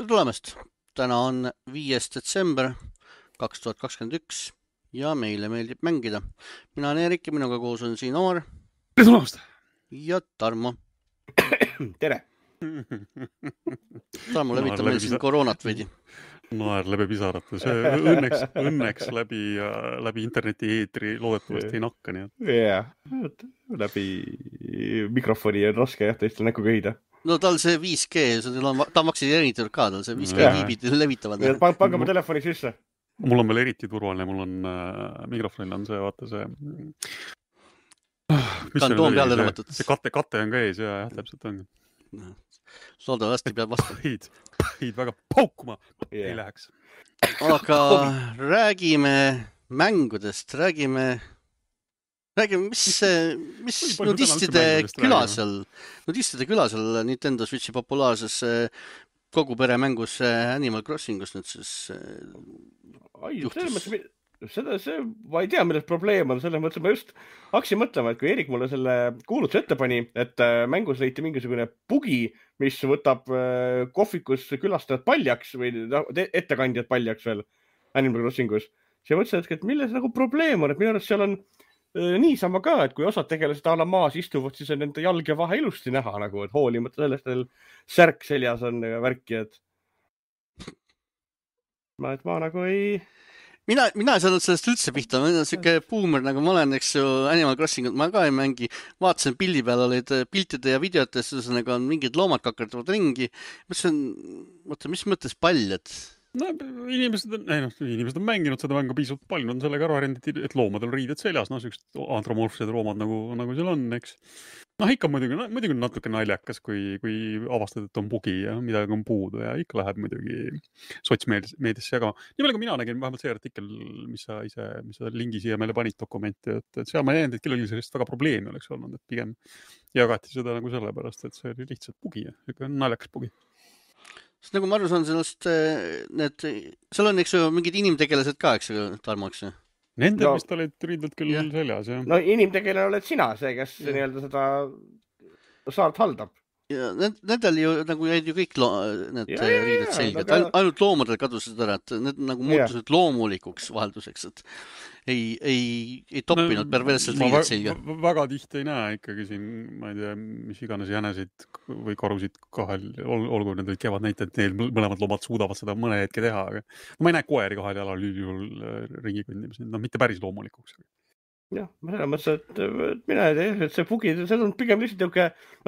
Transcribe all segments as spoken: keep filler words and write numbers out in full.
tere tulemast! Täna on viies detsember kaks tuhat kakskümmend üks ja meile meeldib mängida. Mina olen Erik ja minuga koos on siin Omar. Tere tulemast! Ja Tarmo. Tere! Tarmo levitab meil siin koroonat veidi. Naer läbi pisarata. See õnneks, õnneks läbi, läbi interneti eetri loodetavasti ei nakka. Jah, läbi mikrofoni on raske jah, teistel näkku köhida. No tal see viis G, ta on vaktsineeritud ka, tal see viis G viibid levitavad. Pange oma telefoni sisse. Mul on veel eriti turvaline, mul on äh, mikrofonil on see, vaata see kantoon peale lõmmatud. See kate, kate on ka ees ja jah, täpselt on. Loodavasti peab vastu. Põhid, põhid väga paukuma yeah. Ei läheks. Aga räägime mängudest, räägime, räägime, mis, mis nudistide küla seal, nudistide küla seal Nintendo Switchi populaarses kogu pere mängus Animal Crossingus nüüd siis Ai, juhtus. Seda, see, ma ei tea, milles probleem on, selles mõttes ma just hakkasin mõtlema, et kui Erik mulle selle kuulutuse ette pani, et mängus leiti mingisugune bugi, mis võtab kohvikus külastajad paljaks või ettekandjad paljaks veel Animal Crossingus. See mõtlesin, et milles nagu probleem on, et minu arust seal on niisama ka, et kui osad tegelased ala maas istuvad, siis on nende jalg ja vahe ilusti näha, nagu, et hoolimata sellest, et särk seljas on värki, et ma, et ma nagu ei... Mina, mina ei saanud sellest üldse pihta, ma olen siuke boomer, nagu ma olen, eks ju, Animal Crossingut ma ka ei mängi. Vaatasin pildi peal olid piltide ja videotes, ühesõnaga on mingid loomad kakerdavad ringi. Mis on, mõtle, mis mõttes paljad? No, inimesed on, ei, no, inimesed on mänginud seda mängu piisavalt palju, on sellega ära arendid, et loomadel riided seljas, no sellised antromorfsed loomad nagu, nagu seal on, eks. Noh, ikka muidugi, muidugi natuke naljakas, kui, kui avastad, et on bugi ja midagi on puudu ja ikka läheb muidugi sotsmeediasse jagama. Nii palju, kui mina nägin vähemalt see artikkel, mis sa ise, mis sa lingi siia meile panid dokumenti, et, et seal ma jäänud, et kellelgi sellist väga probleemi oleks olnud, et pigem jagati seda nagu sellepärast, et see oli lihtsalt bugi ja ikka naljakas bugi. Sest nagu ma aru saan sellest, need, seal on, eks ju, mingid inimtegelased ka, eks ju, Tarmo, eks ju? Nendel no, vist olid riidelt küll ja. Seljas, jah. No inimtegelane oled sina, see, kes ja. Nii-öelda seda saart haldab. Ja nendel ju nagu jäid ju kõik lo need ja, riided selged. Aga... Ainult loomadel kadusid ära, et need nagu muutusid ja. Loomulikuks vahelduseks, et ei, ei, ei toppinud no, perverselt riided selga. Väga tihti ei näe ikkagi siin, ma ei tea, mis iganes jänesid või karusid kahel, olgu need olid kevad näite, et neil mõlemad loomad suudavad seda mõne hetke teha. Aga ma ei näe koeri kahel jalal juhul ringi kõndimis, no mitte päris loomulikuks. Jah, ma selles mõttes, et mina ei tea, et see bugi, see on pigem lihtsalt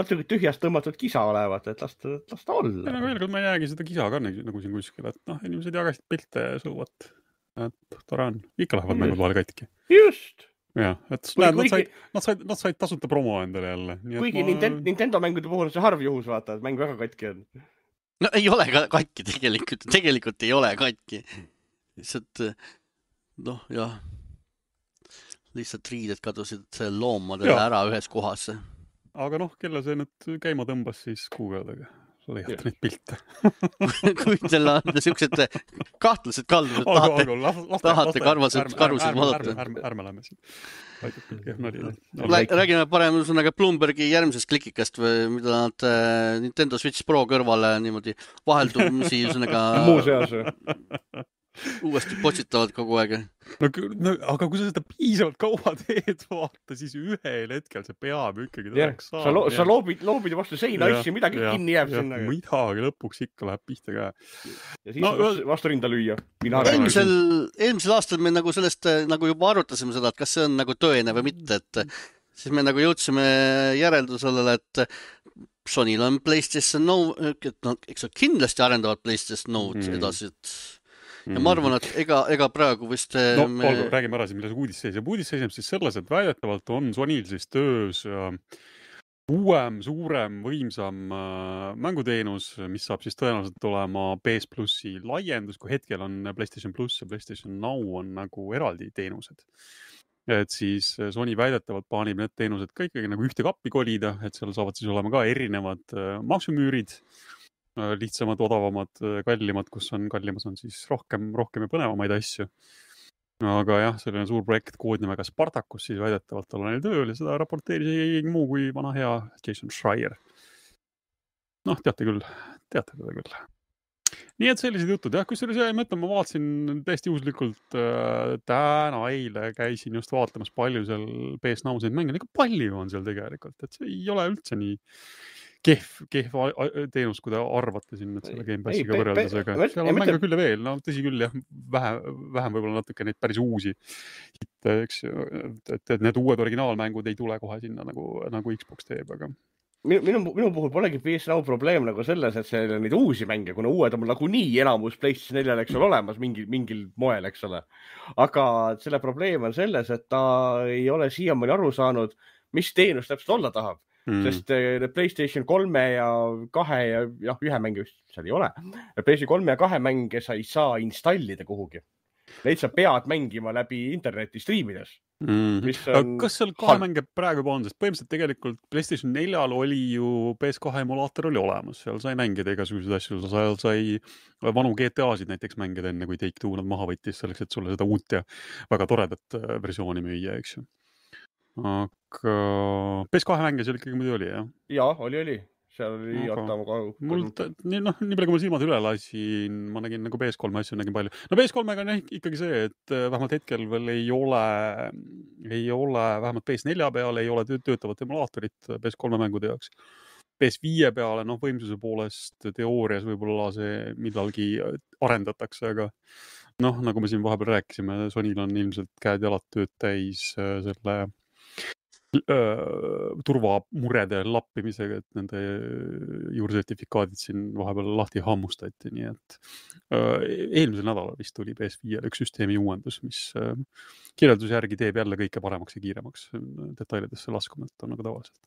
natuke tühjast tõmmatud kisa olevat, et lasta, lasta olla. Ja, veel, ma ei näegi seda kisa ka nagu siin kuskil, et noh, inimesed jagasid pilte ja sõuvat. Et tore on. Ikka lähevad mängud vahel katki. Just! Jah, et kui, näed, kuigi, nad, said, nad, said, nad said tasuta promo endale jälle. Nii, kuigi ma... Nintendo, Nintendo mängude puhul see harv juhus vaata, et mäng väga katki on. No ei ole ka katki tegelikult. Tegelikult ei ole katki. Lihtsalt, noh, jah. Lihtsalt riided kadusid loomadele ja. Ära ühes kohas. Aga noh, kelle see nüüd käima tõmbas siis kuugeldega? Leiad neid pilte. Kui teil on niisugused kahtlased kaldused, tahate, aga, aga, laste, tahate karvased karusid vaadata. Ärme, ärme lähme siin. Räägime parem ühesõnaga Bloombergi järgmisest klikikast, või mida nad Nintendo Switch Pro kõrvale niimoodi vaheldumisi ühesõnaga muuseas uuesti potsitavad kogu aeg. No, no, aga kui sa seda piisavalt kaua teed, vaata, siis ühel hetkel see peab ikkagi tõeks saama. Sa, lo sa loobid, loobid vastu seina asju, midagi ja, kinni jääb ja, sinna. Midagi lõpuks ikka läheb pihta ka. Ja siis no, vastu, vastu rinda lüüa. Eelmisel, eelmisel aastal me nagu sellest nagu juba arutasime seda, et kas see on nagu tõene või mitte, et siis me nagu jõudsime järeldusele, et Sonyl on PlayStation Node, et no, eks kindlasti arendavad PlayStation Node mm. edasi, et ja ma arvan, et ega, ega praegu vist... No, me... olgu, räägime ära siin, milles uudis seisab. Uudis seisab siis selles, et väidetavalt on Sonyl siis töös uuem, suurem, võimsam mänguteenus, mis saab siis tõenäoliselt olema P S Plussi laiendus, kui hetkel on PlayStation Plus ja PlayStation Now on nagu eraldi teenused. Et siis Sony väidetavalt plaanib need teenused ka ikkagi nagu ühte kappi kolida, et seal saavad siis olema ka erinevad maksumüürid, lihtsamad, odavamad, kallimad, kus on kallimas on siis rohkem, rohkem ja põnevamaid asju. Aga jah, selline suur projekt koodnimega Spartacus siis väidetavalt olla neil tööl ja seda raporteeris ei muu kui vana hea Jason Schreier. Noh, teate küll, teate teda küll. nii et sellised jutud, jah, kusjuures ma mõtlen, ma vaatasin täiesti juhuslikult äh, täna eile käisin just vaatamas palju seal P S Now neid mänge, ega palju on seal tegelikult, et see ei ole üldse nii kehv, kehv teenus, kui te arvate siin selle Game Passiga võrreldes, aga seal on mänge küll ja veel, no tõsi küll, jah, vähe, vähem võib-olla natuke neid päris uusi hitte, eks, et, et need uued originaalmängud ei tule kohe sinna nagu, nagu Xbox teeb, aga Minu, minu, minu puhul polegi P S Now probleem nagu selles, et see on neid uusi mänge, kuna uued on nagu nii enamus PlayStation neljal, eks ole, olemas mingil, mingil moel, eks ole. Aga selle probleem on selles, et ta ei ole siiamaani aru saanud, mis teenus täpselt olla tahab. Mm. Sest PlayStation kolme ja kahe ja jah, ühe mänge seal ei ole. PlayStation kolme ja kahe mänge sa ei saa installida kuhugi. Neid sa pead mängima läbi interneti striimides. Mm. On... Kas seal kahe mänge praegu juba on, sest põhimõtteliselt tegelikult PlayStation neljal oli ju P S kahe emulaator oli olemas, seal sai mängida igasuguseid asju, seal sai vanu G T A-sid näiteks mängida enne, kui Take Two nad maha võttis selleks, et sulle seda uut ja väga toredat versiooni müüa, eks ju. Aga P S kahe mänge seal ikkagi muidu oli, jah? Jaa, oli, oli. Seal oli aga mul, nii, noh, nii palju kui ma silmad üle lasin, ma nägin nagu P S kolme asju nägin palju. No P S kolmega on ikkagi see, et vähemalt hetkel veel ei ole, ei ole vähemalt P S nelja peale ei ole töötavat emulaatorit P S kolme mängude jaoks. P S viie peale, noh, võimsuse poolest teoorias võib-olla see millalgi arendatakse, aga noh, nagu me siin vahepeal rääkisime, Sonyl on ilmselt käed jalad tööd täis selle turvamurede lappimisega, et nende juursertifikaadid siin vahepeal lahti hammustati, nii et eelmisel nädalal vist tuli P S viiele üks süsteemi uuendus, mis kirjelduse järgi teeb jälle kõike paremaks ja kiiremaks detailidesse laskumata on nagu tavaliselt.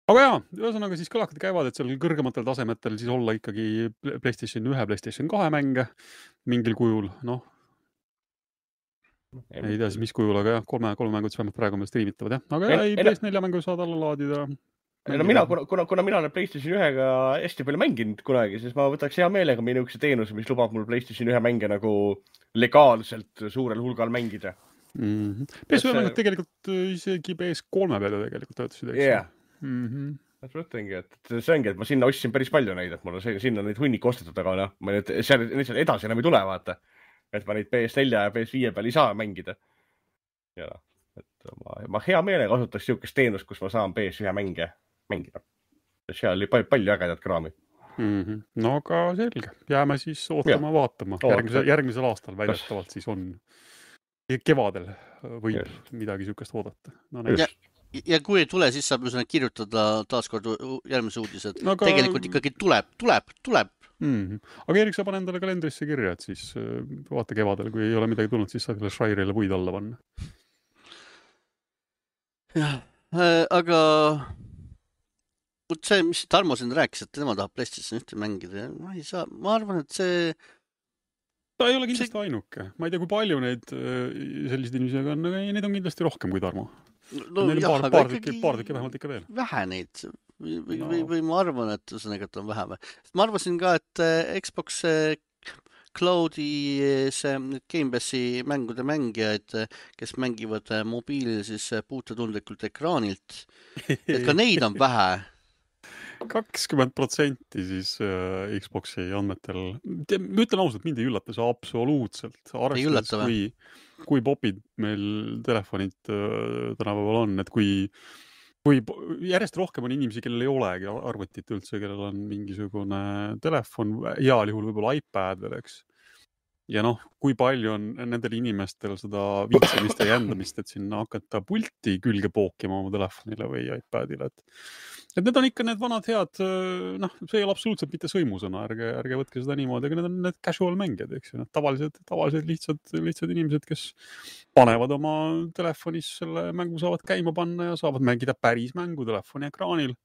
Aga jaa, ühesõnaga siis kõlakad käivad, et seal kõrgematel tasemetel siis olla ikkagi PlayStation ühe, PlayStation kahe mänge mingil kujul, noh, ei tea siis mis kujul, aga jah, kolme, kolme mängud vähemalt praegu meil striimitavad, jah. Aga ei, P S nelja mängu saad alla laadida. No mina, kuna, kuna, kuna mina olen PlayStation ühega hästi palju mänginud kunagi, siis ma võtaks hea meelega minukese teenuse, mis lubab mul PlayStation ühe mänge nagu legaalselt suurel hulgal mängida. Mm-hmm. P S ühe mängud tegelikult isegi P S kolme peale tegelikult töötasid, eks? Jah. Mm-hmm. Ma mõtlengi, et see ongi, et ma sinna ostsin päris palju neid, et mul on sinna neid hunnik ostetud, aga noh, ma nüüd seal, seal edasi enam ei tule, vaata. Et ma neid P S nelja ja P S viie peal ei saa mängida. Ja, et ma, ma hea meelega kasutaks siukest teenust, kus ma saan P S ühe mänge mängida. Seal oli palju, palju ägedat kraami. Mm-hmm. No aga selge. Jääme siis ootama, ja. vaatama. Järgmise, järgmisel aastal väidetavalt siis on. Kevadel võib ja. midagi siukest oodata. No, ja, ja kui ei tule, siis saab kirjutada taaskord järgmise uudised. No, aga... Tegelikult ikkagi tuleb, tuleb, tuleb. Mm-hmm. Aga Erik, sa pane endale kalendrisse kirja, et siis vaata kevadel, kui ei ole midagi tulnud, siis saad selle Shire'ile puid alla panna. Jah, äh, aga see, mis Tarmo siin rääkis, et tema tahab PlayStation ühte mängida, ma ei saa, ma arvan, et see ta ei ole kindlasti see... ainuke. Ma ei tea, kui palju neid sellised inimesi on, aga neid on kindlasti rohkem kui Tarmo. No, Neil jah, paar, paar, tükki, paar tükki vähemalt ikka veel. Vähe neid või, või, no. või, või ma arvan, et ühesõnaga, et on vähem. Ma arvasin ka, et Xbox Cloudi see Game Passi mängude mängijaid, kes mängivad mobiilil siis puutetundlikult ekraanilt, et ka neid on vähe. kakskümmend protsenti siis äh, Xboxi andmetel. Ma ütlen ausalt, mind ei üllata see absoluutselt. Arvestades, kui, kui popid meil telefonid äh, tänapäeval on, et kui, kui järjest rohkem on inimesi, kellel ei olegi arvutit üldse, kellel on mingisugune telefon, heal juhul võib-olla iPad veel, eks. Ja noh, kui palju on nendel inimestel seda viitsemist ja jändamist, et sinna hakata pulti külge pookima oma telefonile või iPadile. Et, et need on ikka need vanad head, noh, see ei ole absoluutselt mitte sõimusõna, ärge, ärge võtke seda niimoodi, aga need on need casual mängijad, eks ju. Tavalised, tavalised lihtsad, lihtsad inimesed, kes panevad oma telefonis selle mängu, saavad käima panna ja saavad mängida päris mängu telefoni ekraanil.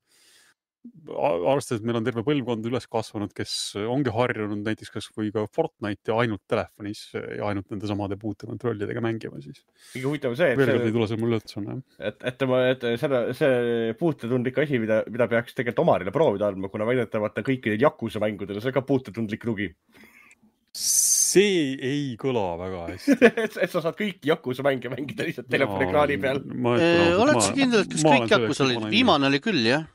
Arvestades, et meil on terve põlvkond üles kasvanud, kes ongi harjunud näiteks kas või ka Fortnite'i ainult telefonis ja ainult nende samade puutekontrollidega mängima siis. Kõige huvitav see, et, see, ei tule see mulle üldse on, et, et, et selle, see puutetundlik asi, mida, mida peaks tegelikult omarile proovida andma, kuna väidetavalt kõikidel Yakuza mängudel see ka puutetundlik lugi. See ei kõla väga hästi. et, et sa saad kõiki Yakuza mänge mängida lihtsalt telefoni ekraani peal. Oled sa kindel, et kas kõik Yakuza olid? Viimane oli küll, jah?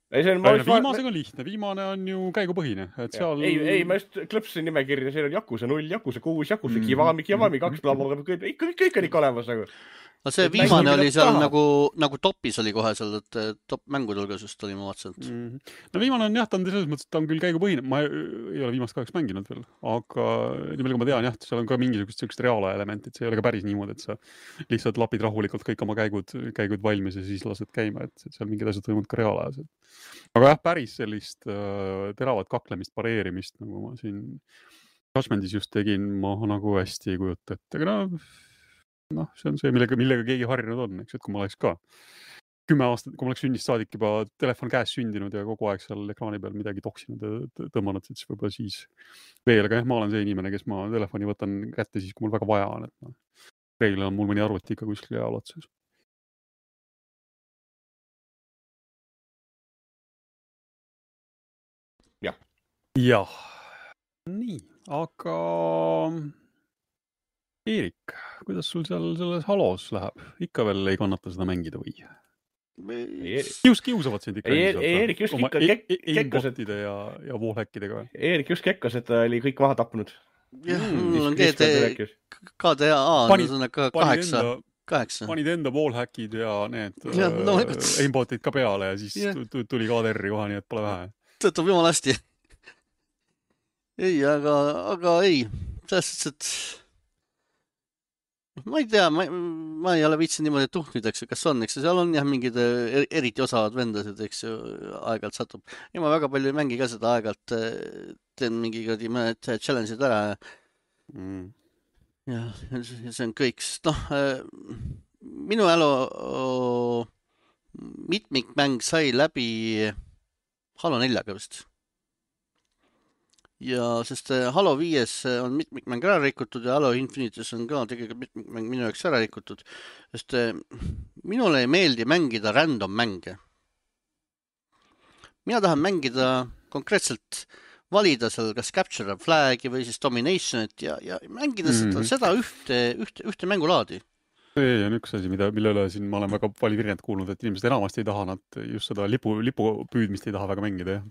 ei, see on, ma viimasega on lihtne, viimane on ju käigupõhine, et seal... Ei, ei, ma just klõpsin nimekirja, seal on Yakuza null, Yakuza kuus, Yakuza Kiwami, Kiwami kaks, blablabla, kõik, kõik on ikka olemas nagu. No see viimane oli seal nagu, nagu topis oli kohe seal, et top mängude hulgas just oli, ma vaatasin. Mm-hmm. No viimane on jah, ta on selles mõttes, et ta on küll käigupõhine, ma ei ole viimast kaheks mänginud veel, aga nii palju kui ma tean, jah, seal on ka mingisugust sellist reaala elementi, et see ei ole ka päris niimoodi, et sa lihtsalt lapid rahulikult kõik oma käigud, käigud valmis ja siis lased käima, et seal mingid asjad toimuvad ka reaalajas. Aga jah, päris sellist äh, teravat kaklemist, pareerimist, nagu ma siin Judgmentis just tegin, ma nagu hästi ei kujuta, et aga no noh, see on see, millega, millega keegi harjunud on, eks, et kui ma oleks ka kümme aastat, kui ma oleks sünnist saadik juba telefon käes sündinud ja kogu aeg seal ekraani peal midagi toksinud ja tõmmanud, et siis võib-olla siis veel, aga jah, ma olen see inimene, kes ma telefoni võtan kätte siis, kui mul väga vaja on, et no, reeglina on mul mõni arvuti ikka kuskil jaal otsas. Jah. Jah. Nii, aga... Eerik, kuidas sul seal selles halos läheb? Ikka veel ei kannata seda mängida või? Kius, kiusavad sind ikka. Eerik just ikka kekkos, et... ja, ja wallhackidega. Eerik just kekkos, et ta oli kõik maha tapnud. Jah, mul on G D A on kaheksa. kaheksa. Panid enda wallhackid ja need ja, no, aimbotid ka peale ja siis ja. Tuli K D R-i koha, nii et pole vähe. Tõtub jumal hästi. Ei, aga, aga ei. Selles, et ma ei tea, ma, ma ei ole viitsin niimoodi tuhnid, eks ju, kas on, eks ju, seal on jah mingid eriti osavad vendasid, eks ju, aeg-alt satub. Ja ma väga palju ei mängi ka seda aeg-alt, teen mingi mõned challenge'id ära. Mm. Ja see on kõik, sest noh, minu elu mitmikmäng sai läbi Halo neljaga vist. Ja sest Halo viies on mitmikmäng ära rikutud ja Halo Infinites on ka tegelikult mitmikmäng minu jaoks ära rikutud. Sest minule ei meeldi mängida random mänge. Mina tahan mängida konkreetselt valida seal kas Capture a Flagi või siis Dominationit ja, ja mängida mm-hmm. seda, seda ühte, ühte, ühte mängulaadi. See on üks asi, mida, mille üle siin ma olen väga palju virjent kuulnud, et inimesed enamasti ei taha nad just seda lipu, lipu püüdmist ei taha väga mängida. Ja.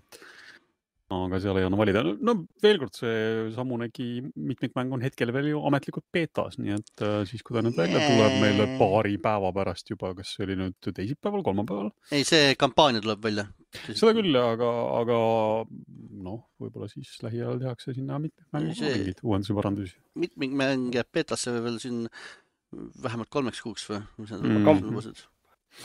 Aga seal ei ole valida. No veel kord see samunegi mitmikmäng on hetkel veel ju ametlikult beetas, nii et siis kui ta nüüd välja tuleb meile paari päeva pärast juba, kas see oli nüüd teisipäeval, kolmapäeval? Ei, see kampaania tuleb välja. Seda küll, aga, aga noh, võib-olla siis lähiajal tehakse sinna mitmikmängu see... mingid uuendusi parandusi. Mitmikmäng jääb beetasse või veel siin vähemalt kolmeks kuuks või? Mm.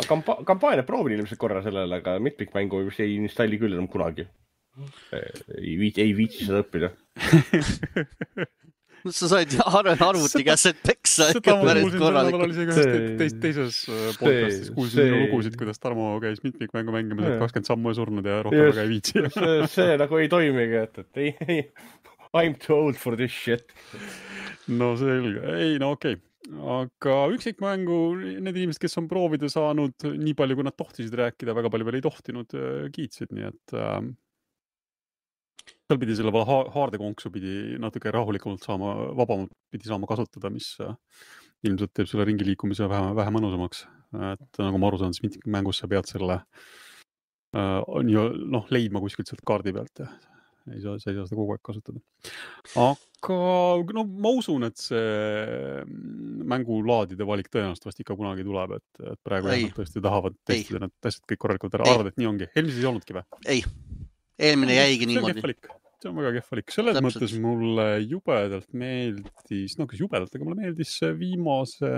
Kampa- kampaania proovin ilmselt korra sellele, aga mitmikmängu ei installi küll enam kunagi. Ei, viit, ei viitsi seda õppida. No, sa said arvuti käes, et peksa ikka päris korralikult. Teis, teises podcastis kuulsin sinu lugusid, kuidas Tarmo käis mitmikmängu mängimas, et kakskümmend sammu ei surnud ja rohkem väga ei viitsi. See, see nagu ei toimigi, et, et ei, ei, I'm too old for this shit. No selge. Ei, no okei. Okay. Aga üksikmängu, need inimesed, kes on proovida saanud nii palju, kui nad tohtisid rääkida, väga palju veel ei tohtinud, kiitsid, nii et äh, seal pidi selle haardekonksu pidi natuke rahulikumalt saama, vabamalt pidi saama kasutada, mis äh, ilmselt teeb selle ringi liikumise vähe, vähe mõnusamaks. Et nagu ma aru saan, siis mitmikmängus sa pead selle äh, noh, leidma kuskilt sealt kaardi pealt ja ei saa, sa ei saa seda kogu aeg kasutada. Aga no, ma usun, et see mängulaadide valik tõenäoliselt vast ikka kunagi tuleb, et, et praegu jah, tõesti tahavad testida need asjad kõik korralikult ära. Arvad, et nii ongi. Eelmises ei olnudki või? Ei. Eelmine jäigi niimoodi. See on väga kehvalik. Selles Täpselt. Mõttes mulle jubedalt meeldis, no kas jubedalt, aga mulle meeldis viimase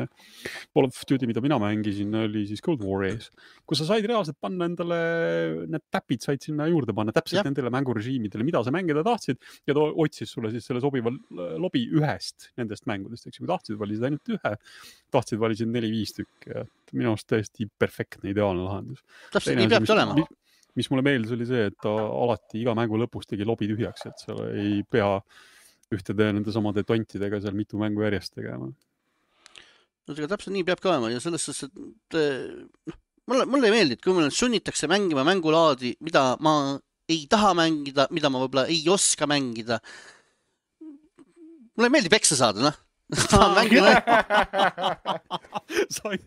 Call of Duty, mida mina mängisin, oli siis Cold War ees. Kus sa said reaalselt panna endale, need täpid said sinna juurde panna täpselt ja. Nendele mängurežiimidele, mida sa mängida tahtsid ja ta otsis sulle siis selle sobiva lobi ühest nendest mängudest. Eks, kui tahtsid, valisid ainult ühe, tahtsid, valisid neli-viis tükki. Minu arust täiesti perfektne, ideaalne lahendus. Täpselt, nii peabki olema. Mis mulle meeldis oli see, et ta alati iga mängu lõpus tegi lobi tühjaks, et seal ei pea ühtede nende samade tontidega seal mitu mängu järjest tegema. No ega täpselt nii peab ka olema ja selles suhtes, et mulle, mulle ei meeldi, et kui mulle sunnitakse mängima mängulaadi, mida ma ei taha mängida, mida ma võib-olla ei oska mängida. Mulle ei meeldi peksa saada, noh. tahan mängida Sain...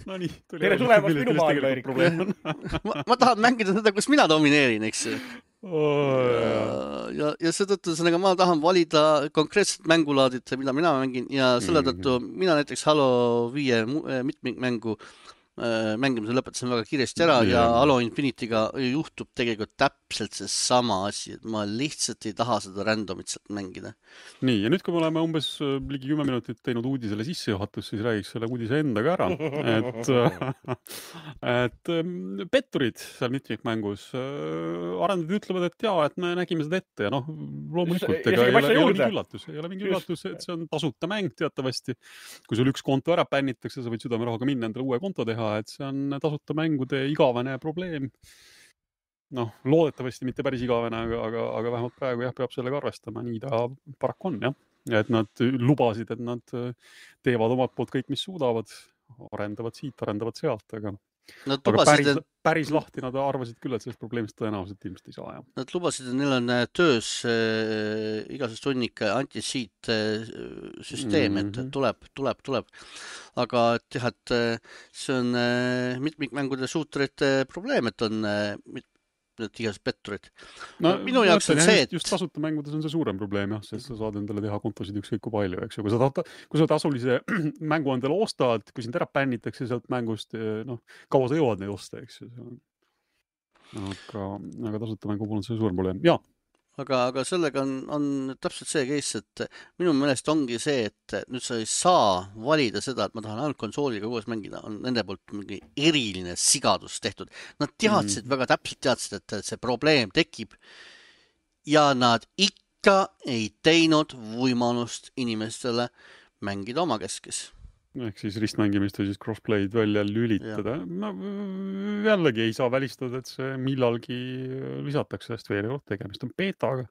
no nii, tuli tere tulemast minu maailma, Erik. ma, ma tahan mängida seda, kus mina domineerin, eks ju. Oh, ja, ja, ja seetõttu sellega ma tahan valida konkreetset mängulaadit, mida mina mängin ja selle tõttu mm. mina näiteks Halo viie mitmikmängu mängimise lõpetasin väga kiiresti ära ja, ja Halo Infinity'ga juhtub tegelikult täpselt see sama asi, et ma lihtsalt ei taha seda randomit sealt mängida. Nii, ja nüüd, kui me oleme umbes ligi kümme minutit teinud uudisele sissejuhatus, siis räägiks selle uudise endaga ära. Et, et petturid seal mitmikmängus arendajad ütlevad, et jaa, et me nägime seda ette ja noh, loomulikult ega ei ole, ei ole mingi üllatus, ei ole mingi üllatus, et see on tasuta mäng teatavasti. Kui sul üks konto ära pännitakse, sa võid südamerahaga minna endale uue konto teha, et see on tasuta mängude igavene probleem. Noh, loodetavasti mitte päris igavene, aga, aga, aga vähemalt praegu jah, peab sellega arvestama. Nii ta paraku on, jah. Et nad lubasid, et nad teevad omalt poolt kõik, mis suudavad. Arendavad siit, arendavad sealt, aga, aga päris, et... päris lahti nad arvasid küll, et sellest probleemist tõenäoliselt ilmselt ei saa. Jah. Nad lubasid, et neil on töös äh, igasest hunnik anti-cheat äh, süsteem, mm-hmm. et tuleb, tuleb, tuleb. Aga jah, et see on äh, mitmikmängude suutrite probleem, et on äh, mit, igasest petturid. No, minu jaoks on see, et... Just tasuta mängudes on see suurem probleem, jah, sest sa saad endale teha kontosid ükskõik kui palju, eks ju. Kui sa, tahad, kui sa tasulise mängu endale ostad, kui sind ära pännitakse sealt mängust, noh, kaua sa jõuad neid osta, eks ju. Aga, aga tasuta mängu puhul on see suurem probleem. Jaa. Aga, aga sellega on, on täpselt see case, et minu meelest ongi see, et nüüd sa ei saa valida seda, et ma tahan ainult konsooliga koos mängida, on nende poolt mingi eriline sigadus tehtud. Nad teadsid, mm. väga täpselt teadsid, et see probleem tekib ja nad ikka ei teinud võimalust inimestele mängida oma keskes. Ehk siis ristmängimist või siis crossplay'd välja lülitada. No, jällegi ei saa välistada, et see millalgi lisatakse sellest veel kord tegemist on beetaga.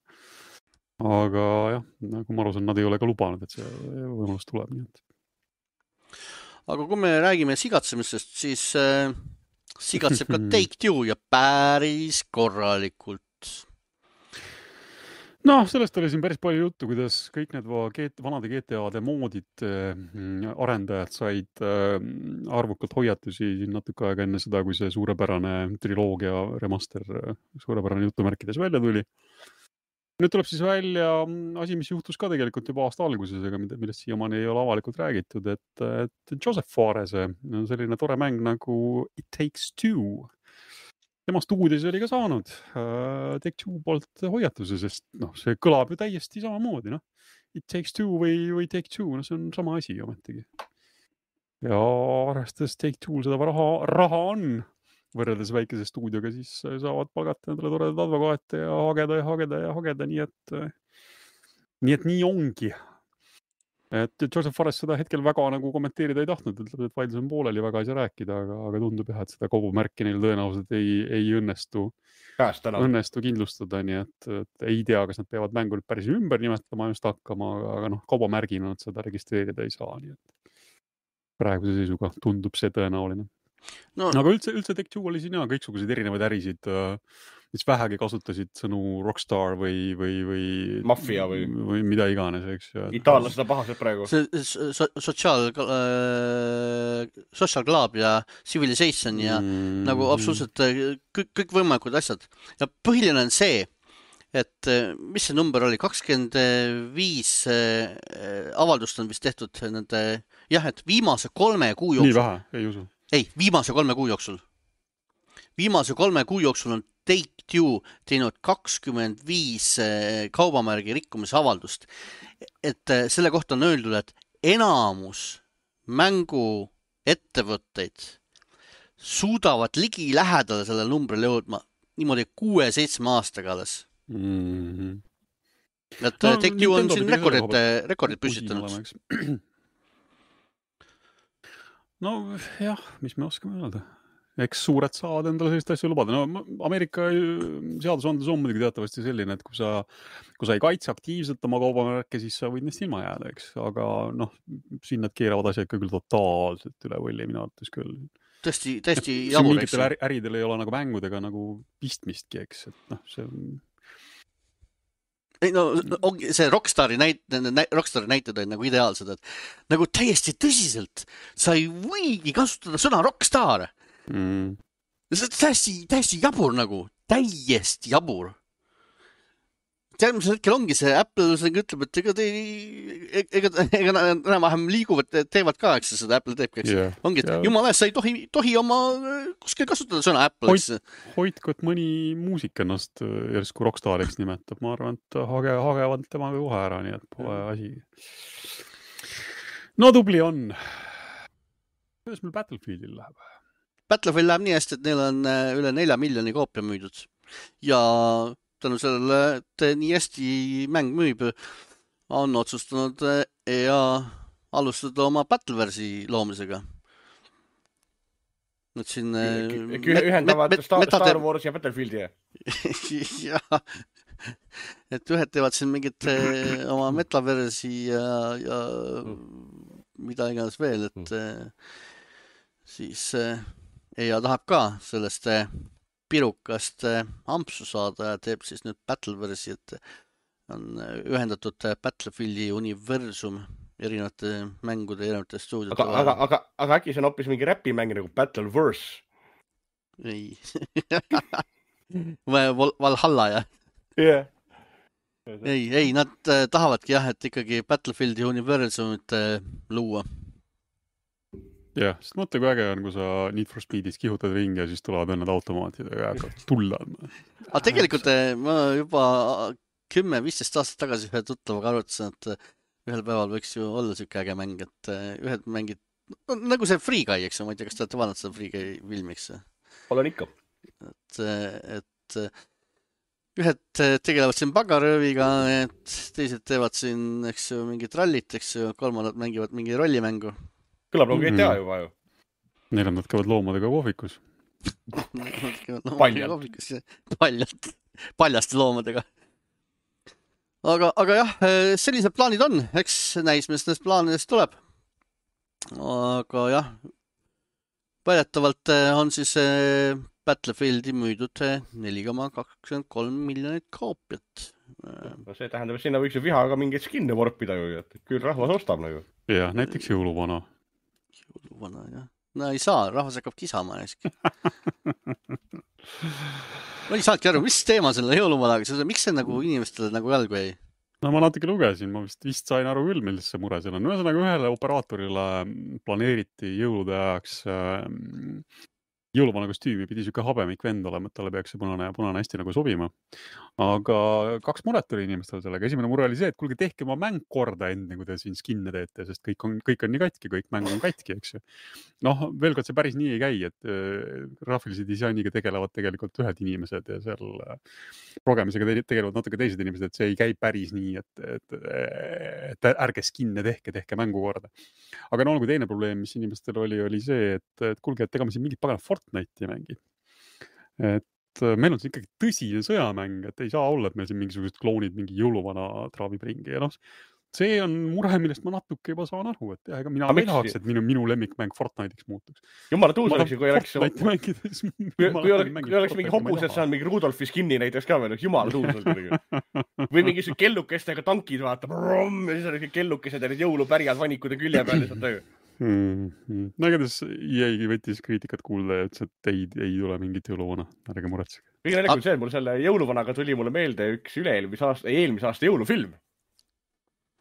Aga jah, nagu ma aru saan, nad ei ole ka lubanud, et see võimalus tuleb. Nii et... Aga kui me räägime sigatsemisest, siis äh, sigatseb ka Take-Two ja päris korralikult. No, sellest oli siin päris palju juttu, kuidas kõik need vanade G T A-de moodid arendajad said arvukalt hoiatusi natuke aega enne seda, kui see suurepärane triloogia remaster suurepärane jutumärkides välja tuli. Nüüd tuleb siis välja asi, mis juhtus ka tegelikult juba aasta alguses, aga millest siiamaani ei ole avalikult räägitud, et, et Joseph Faarese on selline tore mäng nagu It Takes Two. Tema stuudios oli ka saanud uh, Take-Two poolt hoiatuse, sest noh, see kõlab ju täiesti samamoodi, noh. It Takes Two või, või Take-Two, no see on sama asi ometigi. Ja arvestades Take-Two seda raha, raha on võrreldes väikese stuudioga, siis saavad palgata endale toredad advokaate ja hageda ja hageda ja hageda, nii et nii, et nii ongi. Et Joseph Fares seda hetkel väga nagu kommenteerida ei tahtnud, ütleb, et vaidlus on pooleli, väga ei saa rääkida, aga, aga tundub jah, et seda kaubamärki neil tõenäoliselt ei, ei õnnestu, õnnestu kindlustada, nii et, et ei tea, kas nad peavad mängu nüüd päris ümber nimetama just hakkama, aga, aga noh, kaubamärgina nad seda registreerida ei saa, nii et praeguse seisuga tundub see tõenäoline. No. Aga üldse, üldse Take-Two oli siin ja kõiksuguseid erinevaid ärisid, mis vähegi kasutasid sõnu Rockstar või, või, või Mafia või, või mida iganes, eks. Itaallased on pahased praegu. See so, Social äh, Social Club ja Civilization ja mm. nagu absoluutselt kõik, kõik võimalikud asjad. Ja põhiline on see, et mis see number oli, kakskümmend viis avaldust on vist tehtud nende, jah, et viimase kolme kuu jooksul. Nii vähe, ei usu. Ei, viimase kolme kuu jooksul. Viimase kolme kuu jooksul on Take-Two teinud kakskümmend viis kaubamärgi rikkumise avaldust. Et selle kohta on öeldud, et enamus mängu ettevõtteid suudavad ligi lähedale selle numbrile jõudma niimoodi kuue seitsme aastaga alles. Mm-hmm. Et no, Take-Two on siin rekordid, rekordid püstitanud. No jah, mis me oskame öelda. Eks suured saavad endale sellist asju lubada. No Ameerika seadusandlus on muidugi teatavasti selline, et kui sa, kui sa ei kaitse aktiivselt oma kaubamärke, siis sa võid neist ilma jääda, eks. Aga noh, siin nad keeravad asja ikka küll totaalselt üle võlli, mina arvates küll. Tõesti, tõesti jabur, eks. Mingitel äridel ei ole nagu mängudega nagu pistmistki, eks. Et noh, see on... ei no ongi see Rockstari näit-, Rockstari näited on nagu ideaalsed, et nagu täiesti tõsiselt sa ei võigi kasutada sõna Rockstar. Mm. See on täiesti, täiesti jabur nagu, täiesti jabur. Järgmisel hetkel ongi see Apple ütleb, et ega te ega, ega enam-vähem liiguvad, teevad ka, eks seda Apple teeb, eks yeah. ongi, et yeah. jumala eest, sa ei tohi, tohi oma kuskil kasutada sõna Apple, eks. Hoidku, et mõni muusik ennast järsku rockstariks nimetab, ma arvan, et hage, hagevad temaga kohe ära, nii et pole asi. No tubli on. Kuidas meil Battlefieldil läheb? Battlefield läheb nii hästi, et neil on üle nelja miljoni koopia müüdud ja tänu sellele, et nii hästi mäng müüb, on otsustanud ja alustada oma Battleversi loomisega. Nüüd siin... Ühendavad Star, Star Wars ja Battlefieldi. Jah, et ühed teevad siin mingit oma Metaversi ja, ja mida iganes veel, et siis ja tahab ka sellest pirukast ampsu saada ja teeb siis nüüd Battleversi, et on ühendatud Battlefieldi universum erinevate mängude, erinevate stuudiote. Aga, aga, aga, aga äkki see on hoopis mingi räpimäng nagu Battleverse? Ei. Val, Valhalla, jah? Yeah. Ei, ei, nad tahavadki jah, et ikkagi Battlefieldi universumit luua. Jah, sest mõtle, kui äge on, kui sa Need for Speedis kihutad ringi ja siis tulevad ennad automaatidega ja hakkavad tulla. Aga tegelikult ma juba kümme viisteist aastat tagasi ühe tuttavaga arvutasin, et ühel päeval võiks ju olla siuke äge mäng, et ühed mängid, nagu see Free Guy, eks, ma ei tea, kas te olete vaadanud seda Free Guy filmiks? Olen ikka. Et, et ühed tegelevad siin pagarööviga, et teised teevad siin, eks ju, mingit rallit, eks ju, kolmandad mängivad mingi rollimängu. Kõlab nagu G T A juba ju. Neljandad käivad loomadega kohvikus. Paljalt. Paljalt. Paljaste loomadega. Aga, aga jah, sellised plaanid on. Eks näis, mis nendest plaanidest tuleb. Aga jah, väidetavalt on siis Battlefieldi müüdud neli koma kakskümmend kolm miljonit koopiat. No see tähendab, et sinna võiks ju vihaga mingeid skinne vorpida ju, et küll rahvas ostab nagu. Ja, näiteks jõuluvana. Jõuluvana, jah. No ei saa, rahvas hakkab kisama näiski. Ma ei saadki aru, mis teema selle jõuluvanaga, miks see nagu inimestele nagu jalgu jäi? No ma natuke lugesin, ma vist, vist sain aru küll, milles see mure seal on. Ühesõnaga ühele operaatorile planeeriti jõulude ajaks jõuluvana kostüümi pidi siuke habemik vend olema, et talle peaks see punane, punane hästi nagu sobima. Aga kaks muret oli inimestel sellega. Esimene mure oli see, et kuulge, tehke oma mäng korda enne, kui te siin skinne teete, sest kõik on, kõik on nii katki, kõik mäng on katki, eks ju. Noh, veel kord see päris nii ei käi, et äh, graafilise disainiga tegelevad tegelikult ühed inimesed ja seal äh, progemisega te tegelevad natuke teised inimesed, et see ei käi päris nii, et, et, et ärge skinne tehke, tehke mängu korda. Aga no, kui teine probleem, mis inimestel oli, oli see, et, et kuulge, et ega me siin mingit pagana Fortnite'i mängi. Et meil on siin ikkagi tõsine sõjamäng, et ei saa olla, et meil siin mingisugused kloonid mingi jõuluvana traavib ringi. Ja noh, see on mure, millest ma natuke juba saan aru, et jah, ega mina ei tahaks, et minu, minu lemmikmäng Fortnite'iks muutuks. Jumala tuus oleks, kui oleks, mängides, kui, kui oleks, kui oleks mingi hobused saan mingi Rudolfi skinni näiteks ka veel, jumala tuus oleks. Või mingi kellukestega tankid vaatab, rom, ja siis on kellukesed ja need jõulupärjad vanikute külje peal lihtsalt töö. Hmm, hmm. No igatahes jäigi võttis kriitikat kuulda ja ütles, et ei, ei tule mingit jõuluvana, ärge muretsege. Kõige naljakam see, et mul selle jõuluvanaga tuli mulle meelde üks üle-eelmise aasta, eelmise aasta jõulufilm.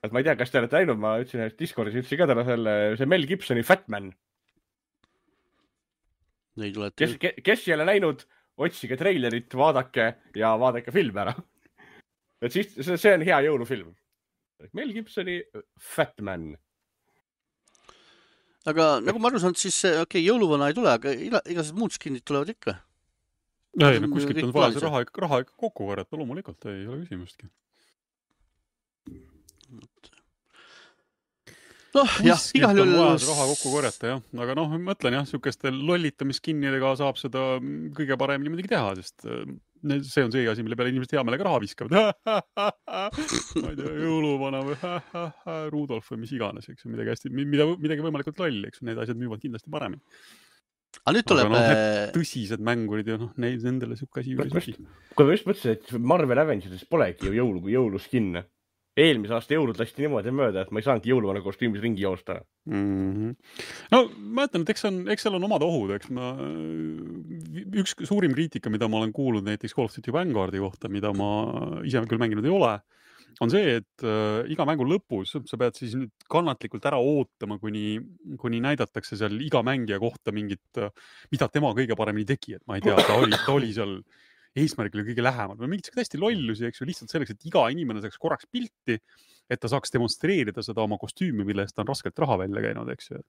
Et ma ei tea, kas te olete näinud, ma ütlesin, et Discordis ütlesin ka täna selle, see Mel Gibsoni Fat Man. Kes, kes ei ole näinud, otsige treilerit, vaadake ja vaadake film ära. Et siis see, see on hea jõulufilm. Mel Gibsoni Fat Man. Aga nagu ma aru saan, siis okei, okay, jõuluvana ei tule, aga igased muud skinnid tulevad ikka. Ei, no kuskilt on vaja see raha, raha ikka kokku korjata, loomulikult ei ole küsimustki. Noh, jah, igal juhul raha kokku korjata, jah. Aga noh, mõtlen jah, siukeste lollitamiskinnidega saab seda kõige paremini muidugi teha, sest see on see asi, mille peale inimesed hea meelega raha viskavad. Ma ei tea, jõuluvana või Rudolf või mis iganes, eks, midagi hästi, mida, midagi võimalikult lolli, eks, need asjad müüvad kindlasti paremini. aga nüüd tuleb... Aga noh, need tõsised mängurid ja noh, neid nendele siuke asi juurde ei sobi. Kui ma just mõtlesin, et Marvel Avengers'is polegi ju jõulu kui jõuluskinne. Eelmise aasta jõulud lasti niimoodi mööda, et ma ei saanudki jõuluvana kostüümis ringi joosta. Mm-hmm. No ma ütlen, et eks, on, eks seal on omad ohud. Eks ma, üks suurim kriitika, mida ma olen kuulnud näiteks Call of Duty Vanguardi kohta, mida ma ise küll mänginud ei ole, on see, et äh, iga mängu lõpus sa pead siis nüüd kannatlikult ära ootama, kuni, kuni näidatakse seal iga mängija kohta mingit, mida tema kõige paremini tegi. Et ma ei tea, ta oli, ta oli seal eesmärgile kõige lähemal. Või mingid hästi lollusi, eks ju, lihtsalt selleks, et iga inimene saaks korraks pilti, et ta saaks demonstreerida seda oma kostüümi, mille eest ta on raskelt raha välja käinud, eks ju.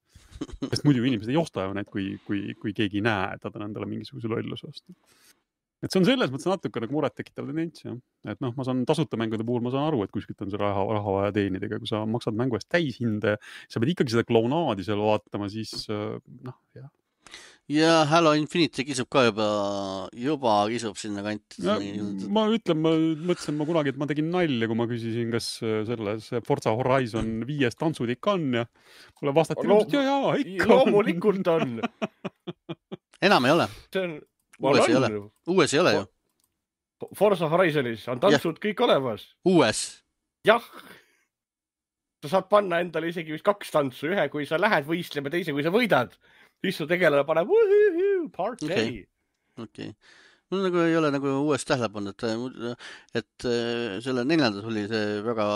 Sest muidu inimesed ei osta ju need, kui, kui, kui keegi ei näe, et ta on endale mingisuguse lolluse vastu. Et see on selles mõttes natuke nagu muret tekitav tendents, jah. Et noh, ma saan tasuta mängude puhul, ma saan aru, et kuskilt on see raha, raha vaja teenida, kui sa maksad mängu eest täishinde, sa pead ikkagi seda klaunaadi seal vaatama, siis noh, jah. Ja Halo Infinite kisub ka juba, juba kisub sinna kanti. Ja, ma ütlen, ma mõtlesin ma kunagi, et ma tegin nalja, kui ma küsisin, kas selles Forza Horizon viies tantsudik on ja mulle vastati, Lo ja, ja, ikka loomulikult on. Enam ei ole. See on, uues ei ole. Uues ei ole ju. Forza Horizonis on tantsud ja. Kõik olemas. Uues? Jah. Sa saad panna endale isegi vist kaks tantsu, ühe, kui sa lähed võistlema, teise, kui sa võidad. Siis su tegelane paneb wuhuhu, party. Okei. Okay. Okay. Mul nagu ei ole nagu uuest tähele pannud, et, et selle neljandas oli see väga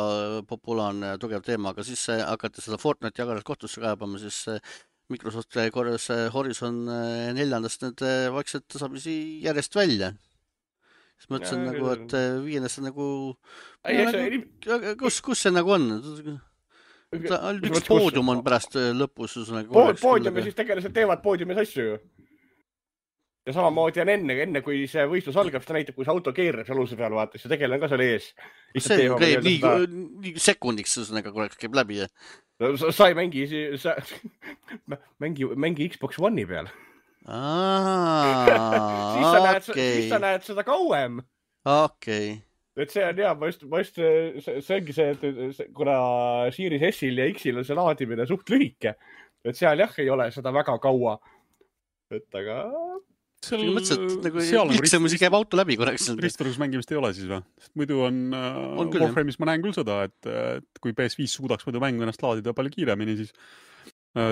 populaarne ja tugev teema, aga siis hakati seda Fortnite jagadas kohtusse kaebama, siis Microsoft korjas Horizon neljandast need vaikselt tasapisi järjest välja. Siis mõtlesin ja, nagu, et viiendast nagu... Ei, nagu see... kus, kus see nagu on? Ta, üks poodium on pärast lõpus. Poodium ja siis tegelased teevad poodiumis asju ju. Ja samamoodi on enne, enne kui see võistlus algab, seda näitab, kui see auto keerab aluse peal, vaata, siis tegelane ka seal ees. See käib nii, nii sekundiks, nagu korraks käib läbi. No, sa, sa ei mängi, sa, mängi, mängi Xbox One'i peal. Aa, siis, sa näed, okay. siis sa näed seda kauem. Okei. Okay. Et see on hea, ma just, ma just, see, see ongi see, et kuna Series S-il ja X-il on see laadimine suht lühike, et seal jah ei ole seda väga kaua. Et aga... Seal, mõtlesin, et nagu lihtsam käib auto läbi korraks. Ristorus mängimist ei ole siis või? Sest muidu on, on küll, Warframe'is ma näen küll seda, et, et kui P S viis suudaks muidu mängu ennast laadida palju kiiremini, siis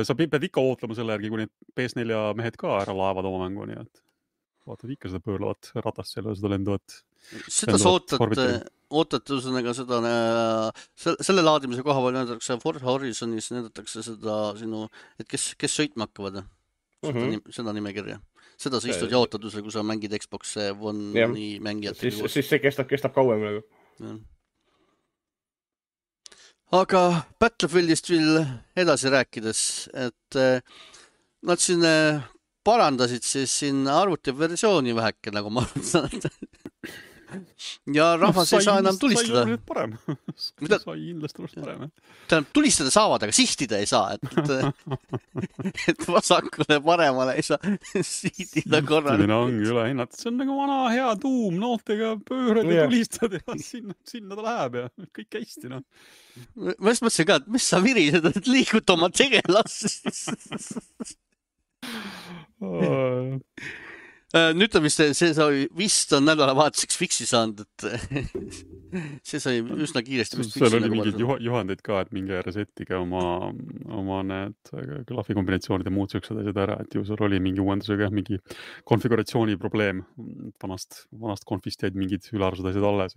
sa pead ikka ootlema selle järgi, kui need P S neli mehed ka ära laevad oma mängu, nii et vaatad ikka seda pöörlavat ratast seal ja seda lenduvat. Seda sa ootad, ootad üsõnaga seda, selle laadimise koha peal näidatakse Forza Horizonis, näidatakse seda sinu, et kes, kes sõitma hakkavad seda, mm -hmm. seda nimekirja. Seda sa istud ja ootad, kui sa mängid Xbox One'i mängijat. Siis, siis see kestab, kestab kauem nagu. Ja. Aga Battlefieldist veel edasi rääkides, et nad siin parandasid siis siin arvutiversiooni väheke, nagu ma arvan. Ja rahvas no, sai, ei saa enam tulistada. Sai parem. Mida? Sai kindlasti parem. Tähendab, tulistada saavad, aga sihtida ei saa. Et, et vasakule paremale ei saa sihtida korral. Sihtidena ongi üle hinnatud. See on nagu vana hea tuum, nooltega pöörad ja tulistad ja sinna, sinna ta läheb ja kõik hästi. No. Ma just mõtlesin ka, et mis sa virised, et liigud oma tegelas. Nüüd on vist, see sai vist on nädalavahetuseks fiksi saanud, et see sai üsna kiiresti. Seal oli mingid juhandeid ka, et mingi resettige oma, oma need klahvikombinatsioonid ja muud sööksed asjad ära, et ju seal oli mingi uuendusega mingi konfiguratsiooni probleem. Vanast, vanast konfist jäid mingid ülearvused asjad alles.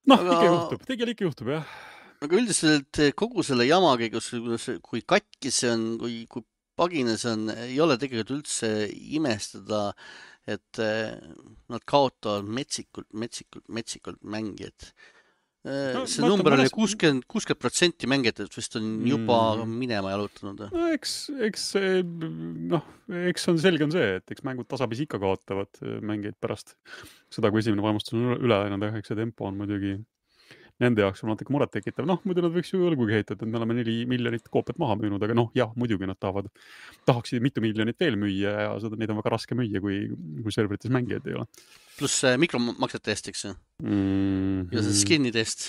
Noh, aga... ikka juhtub, tegelikult ikka juhtub, jah. Aga üldiselt kogu selle jamaga, kui katki see on, kui, kui pagines on, ei ole tegelikult üldse imestada, et nad kaotavad metsikult, metsikult, metsikult mängijad. No, see number oli kuuskümmend protsenti mängijatest vist on juba mm. minema jalutanud. No, eks, eks, noh, eks on selge on see, et eks mängud tasapisi ikka kaotavad mängijaid pärast seda, kui esimene vaimustus on üle läinud, eks see tempo on muidugi nende jaoks on natuke muret tekitav. Noh, muidu nad võiks ju õlgugi heitada, et me oleme neli miljonit koopiat maha müünud, aga noh, jah, muidugi nad tahavad, tahaksid mitu miljonit veel müüa ja seda neid on väga raske müüa, kui, kui serverites mängijaid ei ole. Pluss mikromaksete eest, eks ju? Mm-hmm. Ja see skinide eest.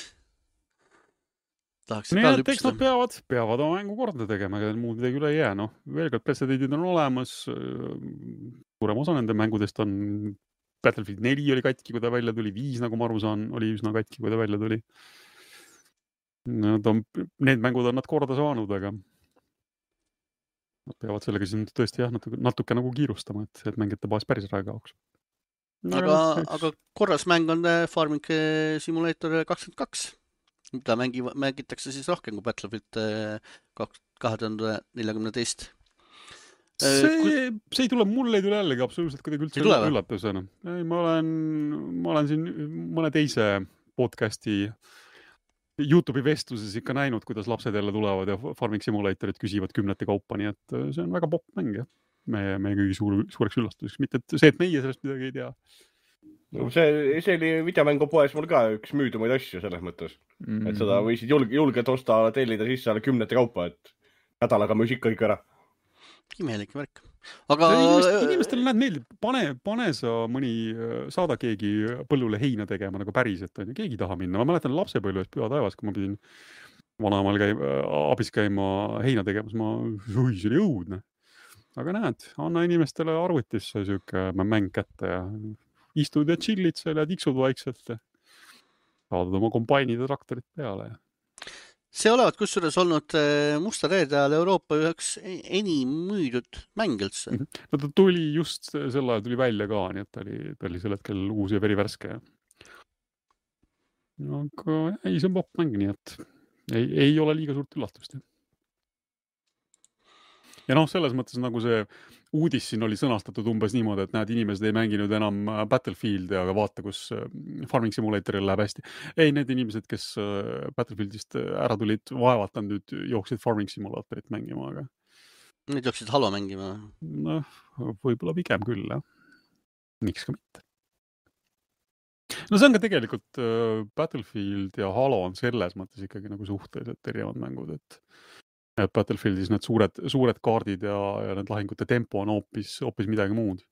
tahaks nii ka et eks lüpsta. nad peavad, peavad oma mängu korda tegema, ega muud midagi üle ei jää. Noh, veel kord pretsedendid on olemas. Suurem osa nende mängudest on Battlefield neli oli katki, kui ta välja tuli, viis, nagu ma aru saan, oli üsna katki, kui ta välja tuli. Nad on, need mängud on nad korda saanud, aga nad peavad sellega siin tõesti jah, natuke, natuke nagu kiirustama, et, et mängite baas päris ära kaoks. Aga, aga korras mäng on Farming Simulator kakskümmend kaks, mida mängi, mängitakse siis rohkem kui Battlefield kahe tuhande neljakümne teist. See, see ei tule, mul ei tule jällegi absoluutselt kuidagi üldse üllatusena. Ei, ma olen, ma olen siin mõne teise podcasti YouTube'i vestluses ikka näinud, kuidas lapsed jälle tulevad ja Farming Simulatorit küsivad kümnete kaupa, nii et see on väga popp mäng, jah. Meie, meie kõigi suur, suureks üllatuseks, mitte et see, et meie sellest midagi ei tea. No see, see oli videomängu poes mul ka üks müüdumaid asju selles mõttes, mm-hmm. et seda võisid julge, julgelt osta, tellida sisse alla kümnete kaupa, et nädalaga müüs ikka kõik ära. Imelik värk. Aga inimestel, inimestel näed meeldib, pane, pane sa mõni, saada keegi põllule heina tegema nagu päriselt, on ju, keegi ei taha minna. Ma mäletan lapsepõlves püha taevas, kui ma pidin vanaemal käima, abis käima heina tegemas, ma, oi, see oli õudne. Aga näed, anna inimestele arvutisse siuke mäng kätte ja istud ja chillid seal ja tiksud vaikselt ja saadad oma kombainid ja traktorid peale. See olevat kusjuures olnud Musta reede ajal Euroopa üheks enim müüdud mäng üldse. No ta tuli just sel ajal tuli välja ka, nii et ta oli, ta oli sel hetkel uus ja verivärske. Aga ei, see on popp mäng, nii et ei, ei ole liiga suurt üllatust. Ja noh, selles mõttes nagu see uudis siin oli sõnastatud umbes niimoodi, et näed, inimesed ei mänginud enam Battlefieldi, aga vaata, kus Farming Simulatoril läheb hästi. Ei, need inimesed, kes Battlefieldist ära tulid, vaevalt on nüüd jooksid Farming Simulatorit mängima, aga... Need jooksid Halo mängima? Noh, võib-olla pigem küll, jah. Miks ka mitte? No see on ka tegelikult Battlefield ja Halo on selles mõttes ikkagi nagu suhteliselt erinevad mängud, et et Battlefieldis need suured, suured kaardid ja, ja need lahingute tempo on hoopis, hoopis midagi muud.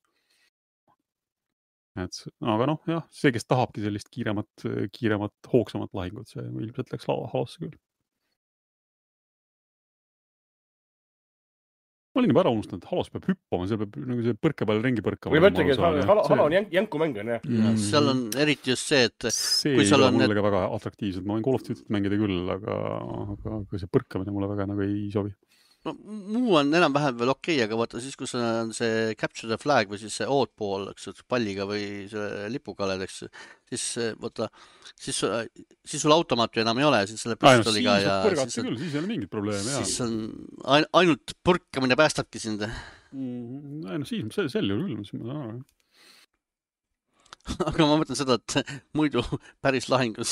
Et, aga noh, jah, see, kes tahabki sellist kiiremat, kiiremat, hoogsamat lahingut, see ilmselt läks Halosse küll. Ma olin juba ära unustanud, et Halos peab hüppama, see peab nagu see põrke peal ringi põrkama. Või mõtlegi, et Halo, Halo on jänku mäng on, jah. Mm. Seal on eriti just see, et see kui ei ole mulle need... väga atraktiivsed. Ma võin Call of Duty't mängida küll, aga, aga, aga see põrkamine mulle väga nagu ei sobi. No, muu on enam-vähem veel okei, okay, aga vaata siis, kus on see Capture the Flag või siis see oddball, eks, palliga või see lipukaled, eks, siis vaata, siis, siis sul automaat ju enam ei ole, siis selle püstoliga no, ja... Siis on, küll, siis ei ole mingit probleemi, jah. Siis on ainult põrkamine päästabki sind. Mm, no siis, sel juhul küll, ma saan aru. Aga ma mõtlen seda, et muidu päris lahingus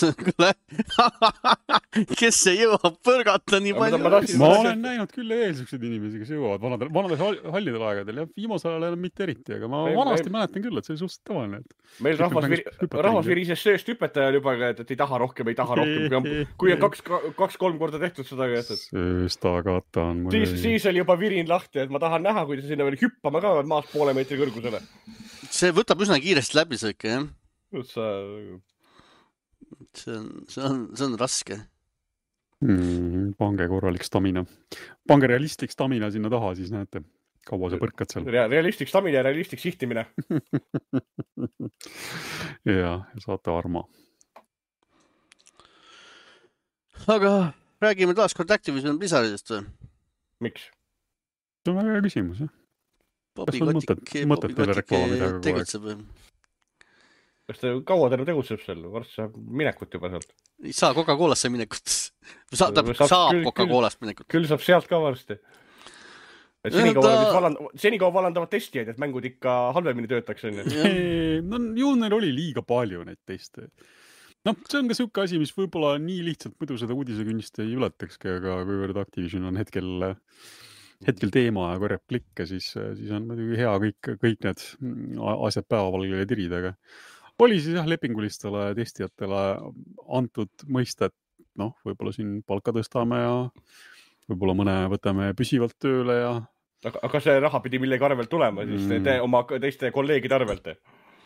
kes ei jõua põrgata nii palju. Ma, ma olen näinud küll eelsükseid inimesi, kes jõuavad vanadel, vanadel hallidel aegadel ja viimasel ajal enam mitte eriti, aga ma meil, vanasti meil... mäletan küll, et see oli suhteliselt tavaline. Meil rahvas, rahvas virises sööst hüpetaja juba, et ei taha rohkem, ei taha rohkem, kui on, kui on kaks, kaks-kolm korda tehtud seda. Sööstagata on mul. Siis, siis oli juba virin lahti, et ma tahan näha, kui ta sinna veel hüppama ka maast poole meetri kõrgusele. See võtab üsna kiiresti läbi see ikka, jah? Sa... See on, see on, see on raske. Hmm, pange korralik stamina. Pange realistlik stamina sinna taha, siis näete, kaua sa põrkad seal. Realistlik stamina ja realistlik sihtimine. ja, ja saate arma. Aga räägime taas kord Activision Blizzardist või? Miks? See on väga hea küsimus, jah. Bobi Kotik, Bobi Kotik tegutseb. Kas ta kaua tänu tegutseb seal? Varsti saab minekut juba sealt. Ei saa Coca-Colasse minekut. Saab, saab, saab Coca-Colast minekut. Küll saab sealt ka varsti. Et senikaua, ta... valand... senikaua valandavad testijaid, et mängud ikka halvemini töötaks. No, ju neil oli liiga palju neid teste. No, see on ka siuke asi, mis võib-olla nii lihtsalt muidu seda uudisekünnist ei ületakski, aga kuivõrd Activision on hetkel... hetkel teema ja korjab klikke, siis, siis on muidugi hea kõik, kõik need asjad päevavalgele tirida, aga oli siis jah lepingulistele testijatele antud mõista, et noh, võib-olla siin palka tõstame ja võib-olla mõne võtame püsivalt tööle ja... Aga, aga see raha pidi millegi arvelt tulema, siis mm. te oma teiste kolleegide arvelt?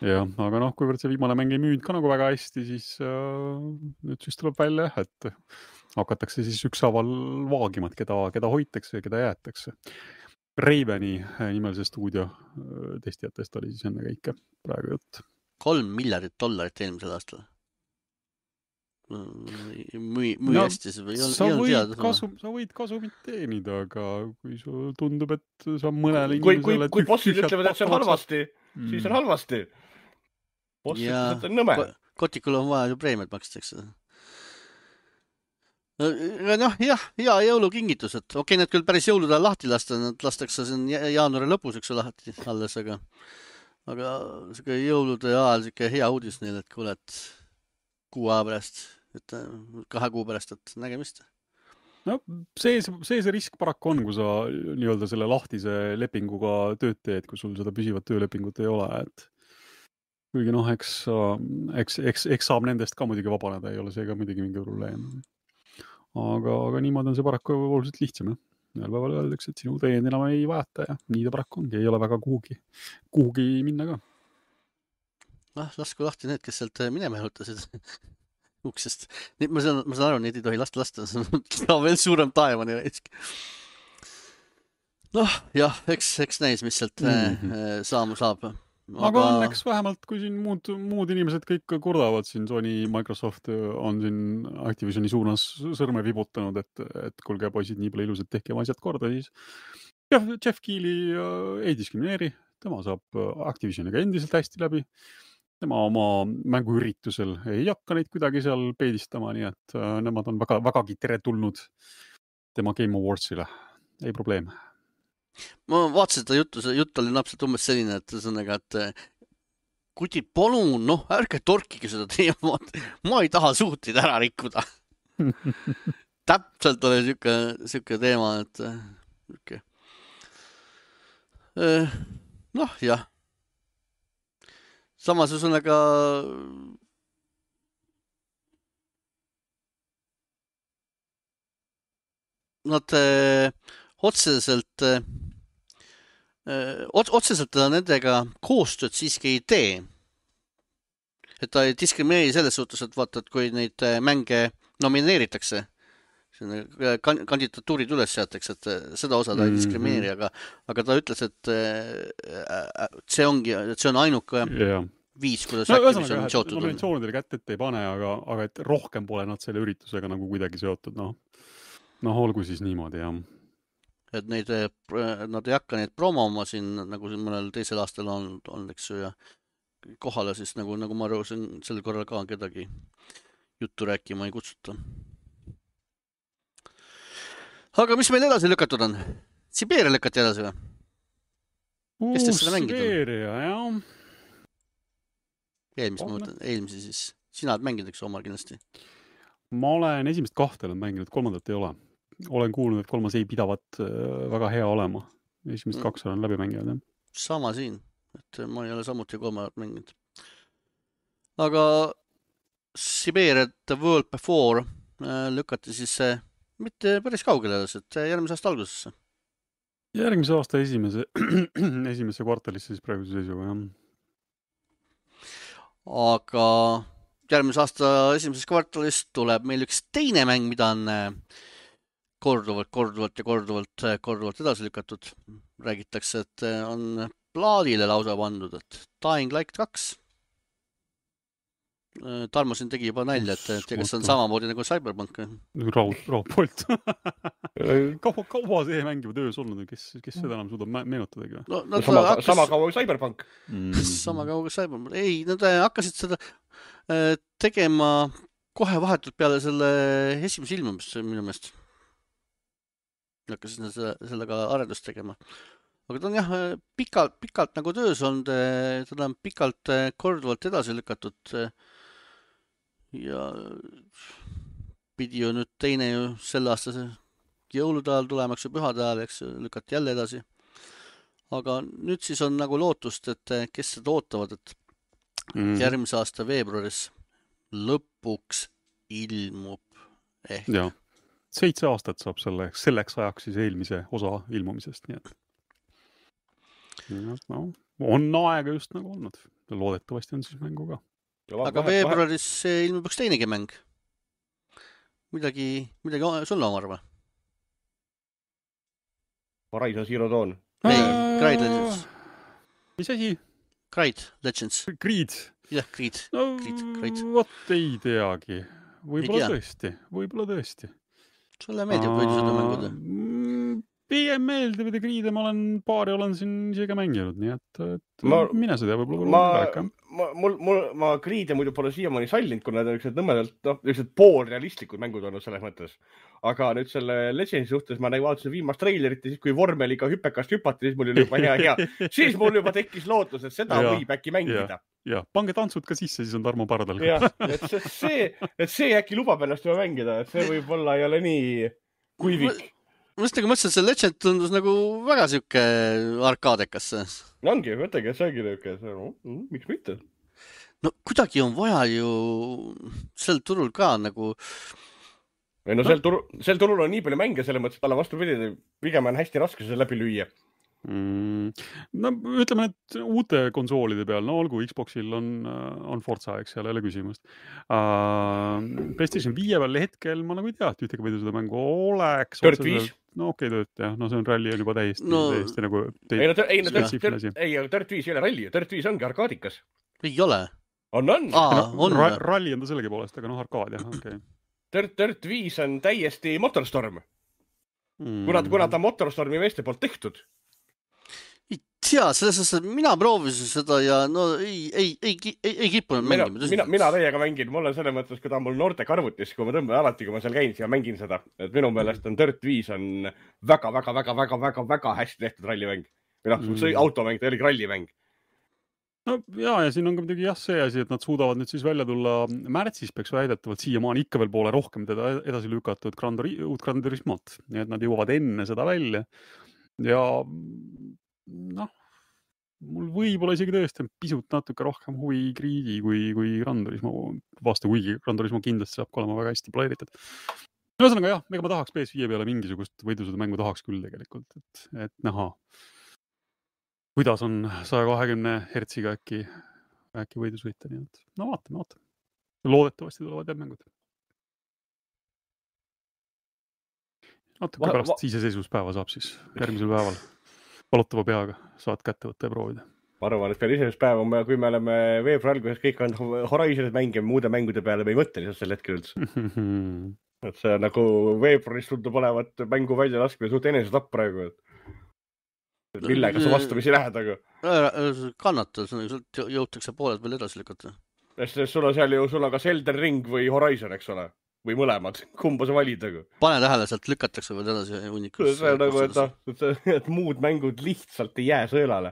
Jah, aga noh, kuivõrd see viimane mäng ei müünud ka nagu väga hästi, siis äh, nüüd siis tuleb välja, et hakatakse siis ükshaaval vaagima, et keda, keda hoitakse ja keda jäetakse. Raveni nimelise stuudio testijatest oli siis enne kõike praegu jutt. Kolm miljardit dollarit eelmisel aastal. Müü, müü no, hästi, see ei sa, olnud võid teada. Kasu, sa võid kasumit teenida, aga kui sul tundub, et sa mõnele kui, inimesele... Kui, kui bossid ütlevad, et see on halvasti, mm. siis on halvasti. Boss ja ütles, et on nõme. Kotikul on vaja ju preemiat makstakse. Noh, jah, hea jõulukingitus, et okei, okay, need küll päris jõulude ajal lahti lasta, need lastakse siin jaanuari lõpus üks lahti alles, aga aga siuke jõulude ajal siuke hea uudis neil, et kuule, et kuu aja pärast, et kahe kuu pärast, et nägemist. No see, see, see risk paraku on, kui sa nii-öelda selle lahtise lepinguga tööd teed, kui sul seda püsivat töölepingut ei ole, et kuigi noh, eks, eks, eks, eks saab nendest ka muidugi vabaneda, ei ole see ka muidugi mingi probleem. Aga, aga niimoodi on see paraku oluliselt lihtsam. Ühel päeval öeldakse, et sinu teenid enam ei vajata ja nii ta paraku ongi, ei ole väga kuhugi, kuhugi minna ka. Ah, lasku lahti need, kes sealt minema jõutasid uksest. Ma saan, ma saan aru, neid ei tohi lasta lasta, see on veel suurem taevani reisk. Noh, jah, eks, eks näis, mis sealt mm-hmm. saama saab. Aga, aga õnneks vähemalt, kui siin muud, muud inimesed kõik kurdavad, siin Sony, Microsoft on siin Activisioni suunas sõrme vibutanud, et, et kuulge poisid, nii palju ilusad tehke oma asjad korda, siis Jeff, Jeff Keighley ei diskrimineeri, tema saab Activisioniga endiselt hästi läbi, tema oma mänguüritusel ei hakka neid kuidagi seal peedistama, nii et nemad on väga, vägagi teretulnud tema Game Awardsile, ei probleem. Ma vaatasin seda juttu, see jutt oli napselt umbes selline, et sõnaga, et kutid, palun, noh, ärge torkige seda teema, ma ei taha suhtid ära rikkuda. Täpselt oli siuke, siuke teema, et okay. noh, jah. Samas sõnaga nad otseselt otseselt ta nendega koostööd siiski ei tee. Et ta ei diskrimineeri selles suhtes, et vaata, et kui neid mänge nomineeritakse, kandidatuurid üles seatakse, et seda osa ta ei diskrimineeri, aga, aga ta ütles, et see ongi, et see on ainuke yeah. viis, kuidas no, Activision on seotud. Nominatsioonidele kätt ette ei pane, aga, aga et rohkem pole nad selle üritusega nagu kuidagi seotud, noh. Noh, olgu siis niimoodi, jah. Et neid, nad ei hakka neid promoma siin, nagu siin mõnel teisel aastal on, on eks ju, ja kohale siis, nagu, nagu ma arvasin, sel korral ka kedagi juttu rääkima ei kutsuta. Aga mis meil edasi lükatud on? Siberia lükati edasi või? Kes teist seda mängid on? Siberia, jah. Eelmis, ma mõtlen, eelmisi siis. Sina oled mänginud, eks omal kindlasti? Ma olen esimest kahte mänginud, kolmandat ei ole. Olen kuulnud, et kolmas ei pidavat väga hea olema. Esimest kaks olen läbi mänginud. Jah. Sama siin, et ma ei ole samuti kolmandat mänginud. Aga Siberia The World Before lükati siis mitte päris kaugele, et järgmise aasta algusesse. Järgmise aasta esimese, esimesse kvartalisse siis praeguse seisuga, jah. Aga järgmise aasta esimeses kvartalis tuleb meil üks teine mäng, mida on korduvalt, korduvalt ja korduvalt, korduvalt edasi lükatud. Räägitakse, et on plaadile lausa pandud, et Dying Light kaks. Tarmo siin tegi juba nalja, et, et kas on samamoodi nagu Cyberpunk. Raud, raudpoolt. kaua, kaua see mäng juba töös olnud, kes, kes seda enam suudab meenutadagi? No, sama, hakkas... sama kaua kui Cyberpunk. Mm. Sama kaua kui Cyberpunk. Ei, nad hakkasid seda tegema kohe vahetult peale selle esimese ilmumist minu meelest. Hakkasid nad sellega arendust tegema. Aga ta on jah pikalt, pikalt nagu töös olnud, ta on pikalt korduvalt edasi lükatud ja pidi ju nüüd teine ju selle aasta jõulude ajal tulemaks ja pühade ajal, eks lükati jälle edasi. Aga nüüd siis on nagu lootust, et kes seda ootavad, et mm. järgmise aasta veebruaris lõpuks ilmub ehk. Ja, seitse aastat saab selleks, selleks ajaks siis eelmise osa ilmumisest, nii et ja, no, on aega just nagu olnud. Loodetavasti on siis mängu ka. Aga veebruaris ilmub üks teinegi mäng. midagi, midagi sulle omar või? Horizon Zero Dawn. Ei, Creed Legends. Mis asi? Creed Legends. Creed. Jah, Creed. No, Creed. Vot ei teagi. Võib-olla tõesti. Võib-olla tõesti. Sulle meeldib võidusõidu mängud? Pigem meeldib, et Creed'e ma olen paari olen siin isegi mänginud, nii et, et ma, mine seda võib-olla ma, ma, mul, mul, ma Creed'e muidu pole siiamaani sallinud, kuna need on ükselt nõmedalt, noh, ükselt poolrealistlikud mängud olnud selles mõttes. Aga nüüd selle Legendsi suhtes ma nagu vaatasin viimast trailerit ja siis, kui vormeliga hüpekast hüpati, siis mul oli juba hea, hea. Siis mul juba tekkis lootus, et seda ja, võib äkki mängida. Ja, pange tantsud ka sisse, siis on Tarmo pardal. Jah, et see, et see äkki lubab ennast juba mängida, et see võib olla ei ole nii kuivik. Ma just nagu mõtlesin, et see Legend tundus nagu väga siuke arkaadekas. Ongi, mõtlegi, et see ongi niuke, no, miks mitte? No kuidagi on vaja ju sel turul ka nagu... Või no, no. Sel, turul, sel turul on nii palju mänge, selle mõttes, et talle vastu pidi, pigem on hästi raske see läbi lüüa. Mm. No ütleme, et uute konsoolide peal, no olgu, Xboxil on, on Forza, eks seal ei ole küsimust. Uh, PlayStation viie peal hetkel ma nagu ei tea, et ühtegi võidu seda mängu oleks. Dirt viis. No okei, okay, tööt, jah. No see on ralli on juba täiesti, no, täiesti nagu... Te... Ei, no, ei, no, Dirt, ei, Dirt viis ei ole ralli. Dirt viis ongi arkaadikas. Ei ole. On, on. Aa, no, on. Ra ralli on ta sellegi poolest, aga noh, arkaad, jah, okei. Okay. Dirt, Dirt viis on täiesti Motorstorm. Mm. Kuna, kuna ta Motorstormi meeste poolt tehtud. Ei tea, selles mõttes, et mina proovisin seda ja no ei, ei, ei, ei, ei kippunud mängima. Mina, mina täiega mängin. Mul on selles mõttes, kui ta on mul noorte karvutis, kui ma tõmban alati, kui ma seal käin, siis ma mängin seda. Et minu meelest on Dirt viis on väga, väga, väga, väga, väga, väga hästi tehtud rallimäng. Või noh, mm. automäng, ta oli rallimäng. No ja, ja siin on ka midagi jah see asi, et nad suudavad nüüd siis välja tulla märtsis peaks väidetavalt siiamaani ikka veel poole rohkem teda edasi lükatud uut Gran Turismot. Nii et nad jõuavad enne seda välja. Ja noh, mul võib-olla isegi tõesti on pisut natuke rohkem huvi Creed'i kui, kui Gran Turismo vastu, kuigi Gran Turismo kindlasti saab olema väga hästi planeeritud. Ühesõnaga jah, ega ma tahaks P S viie peale mingisugust võidusõidu mängu tahaks küll tegelikult, et, et näha, kuidas on saja kahekümne hertsiga äkki, äkki võidus võita, nii et no vaatame, vaatame. Loodetavasti tulevad jah mängud. Natuke pärast iseseisvuspäeva saab siis järgmisel päeval valutava peaga saad kätte võtta ja proovida. Ma arvan, et peale iseseisvuspäeva, kui me oleme veebruar alguses kõik on Horizonid mänge muude mängude peale, me ei mõtle lihtsalt sel hetkel üldse. Et see nagu veebruaris tundub olevat mängu välja laskmine suht enesetapp praegu. Millega sa vastamisi lähed, aga... Kannata, jõutakse pooled veel edasi lükata. Sul on seal ju, sul on kas Elden Ring või Horizon, eks ole? Või mõlemad, kumba sa valid, aga... Pane tähele, sealt lükatakse veel edasi unikus. See on nagu, et, et, et muud mängud lihtsalt ei jää sõelale.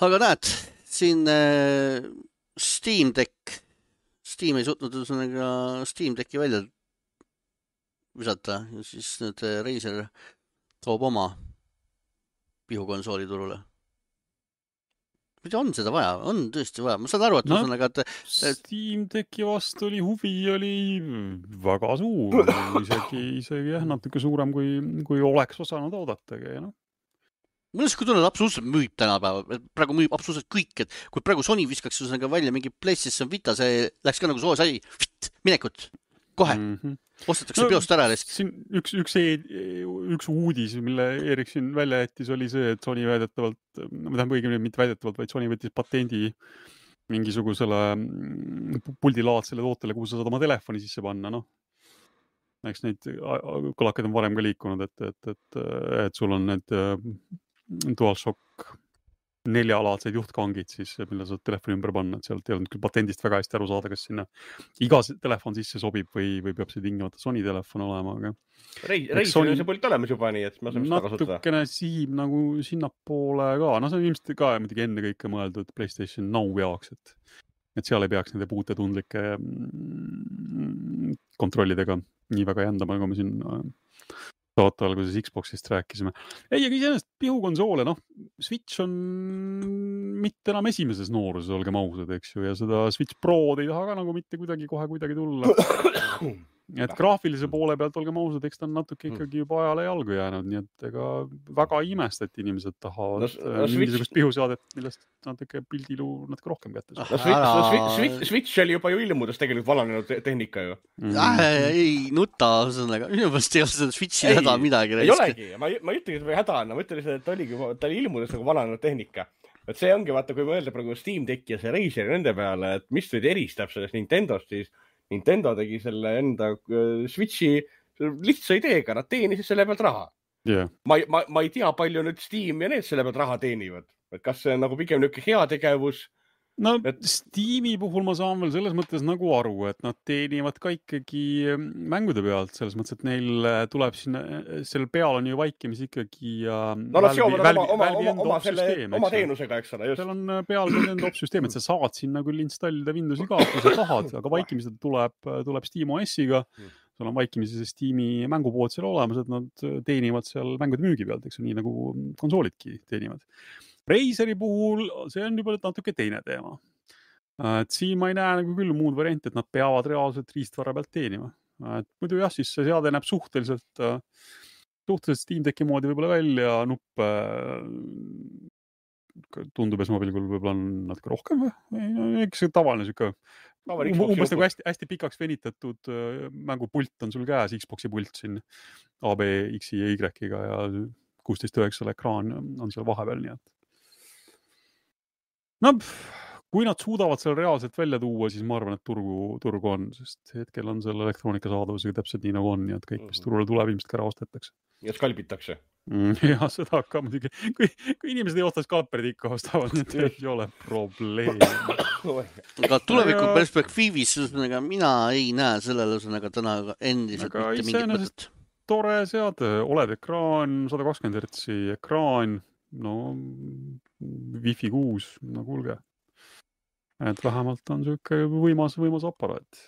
Aga näed, siin äh, Steam Deck, Steam ei suutnud ühesõnaga Steam Decki välja visata ja siis nüüd Razer toob oma pihukonsooli turule. Mida on seda vaja? On tõesti vaja. Ma saan aru, et no, ühesõnaga, et... Steam Decki vastu oli huvi, oli väga suur. Isegi, isegi jah, natuke suurem, kui, kui oleks osanud oodatagi. No. Mul on kui tunned, absoluutselt müüb tänapäeva. Praegu müüb absoluutselt kõik, et kui praegu Sony viskaks ühesõnaga välja mingi PlayStation Vita, see läks ka nagu soo sai, minekut, kohe. Mm-hmm. Ostetakse no, peost ära. Siin üks, üks, üks uudis, mille Erik siin välja jättis, oli see, et Sony väidetavalt, ma tähendab õigemini mitte väidetavalt, vaid Sony võttis patendi mingisugusele puldilaadsele tootele, kuhu sa saad oma telefoni sisse panna. No. Eks neid kõlakad on varem ka liikunud, et, et, et, et sul on need DualShock neljalaadsed juhtkangid, siis, mille saad telefoni ümber panna, et sealt ei olnud küll patendist väga hästi aru saada, kas sinna iga telefon sisse sobib või, või peab see tingimata Sony telefon olema. Aga... Reis Sony... on see pult olemas juba nii, et ma saan seda kasutada. Natukene sihib nagu sinnapoole ka. No see on ilmselt ka muidugi enne kõike mõeldud PlayStation Now jaoks, et, et seal ei peaks nende puute tundlike kontrollidega nii väga jändama, nagu me siin saate alguses Xboxist rääkisime. Ei, aga iseenesest pihukonsoole, noh, Switch on mitte enam esimeses nooruses, olgem ausad, eks ju, ja seda Switch Pro ei taha ka nagu mitte kuidagi kohe kuidagi tulla. et graafilise poole pealt, olgem ausad, eks ta on natuke ikkagi juba ajale jalgu jäänud, nii et ega väga imest, et inimesed tahavad no, no, mingisugust switch... pihusaadet, millest natuke pildilu natuke rohkem kätte saab. No, switch, no, switch, switch, switch oli juba ju ilmudes tegelikult valanenud tehnika ju. Mm. Äh, ei, nuta, ühesõnaga, minu pärast ei ole seda switchi häda midagi. Ei olegi, ma, ma ei ütlegi, et või häda on, ma ütlen, et ta oligi, ta oli ilmudes nagu valanenud tehnika. Et see ongi, vaata, kui mõelda praegu Steam Decki ja see Razer nende peale, et mis nüüd eristab sellest Nintendost, siis Nintendo tegi selle enda Switchi lihtsa ideega, nad teenisid selle pealt raha. Yeah. Ma, ma, ma ei tea, palju nüüd Steam ja need selle pealt raha teenivad. Et kas see on nagu pigem niisugune hea tegevus? No et... Steam'i puhul ma saan veel selles mõttes nagu aru, et nad teenivad ka ikkagi mängude pealt, selles mõttes, et neil tuleb sinna, selle peal on ju vaikimis ikkagi no, nad seovad oma, oma, oma, oma, selle, oma teenusega, eks ole. Just. Seal on peal end op-süsteem, et sa saad sinna küll installida Windowsi ka, kui sa tahad, aga vaikimised tuleb, tuleb Steam O S-iga, sul on vaikimisi see Steam'i mängupood seal olemas, et nad teenivad seal mängude müügi pealt, eks nii nagu konsoolidki teenivad. Razeri puhul see on juba natuke teine teema. Et siin ma ei näe nagu küll muud varianti, et nad peavad reaalselt riistvara pealt teenima. Et muidu jah, siis see seade näeb suhteliselt, suhteliselt Steam Decki moodi võib-olla välja, nuppe tundub, et mobiilikul võib-olla on natuke rohkem või? Eks see tavaline süke, umbes nagu hästi, hästi pikaks venitatud mängupult on sul käes, Xboxi pult siin A, B, X ja Y-ga ja kuusteist üheksa ekraan on seal vahepeal, nii et no, kui nad suudavad seal reaalselt välja tuua, siis ma arvan, et turgu, turgu on, sest hetkel on selle elektroonika saadavusega täpselt nii nagu on, nii et kõik, mis turule tuleb, ilmselt ka ära ostetakse. Ja skalbitakse. Ja seda ka muidugi. Kui, kui inimesed ei osta skalperid ikka ostavad, nii et ei ole probleem. Aga tuleviku perspektiivis mina ei näe sellele täna endiselt aga mitte mingit mõtet. Tore seade, oled ekraan, sada kakskümmend hertsi ekraan, no Wi-Fi kuus, no kuulge. Et vähemalt on siuke võimas, võimas aparaat.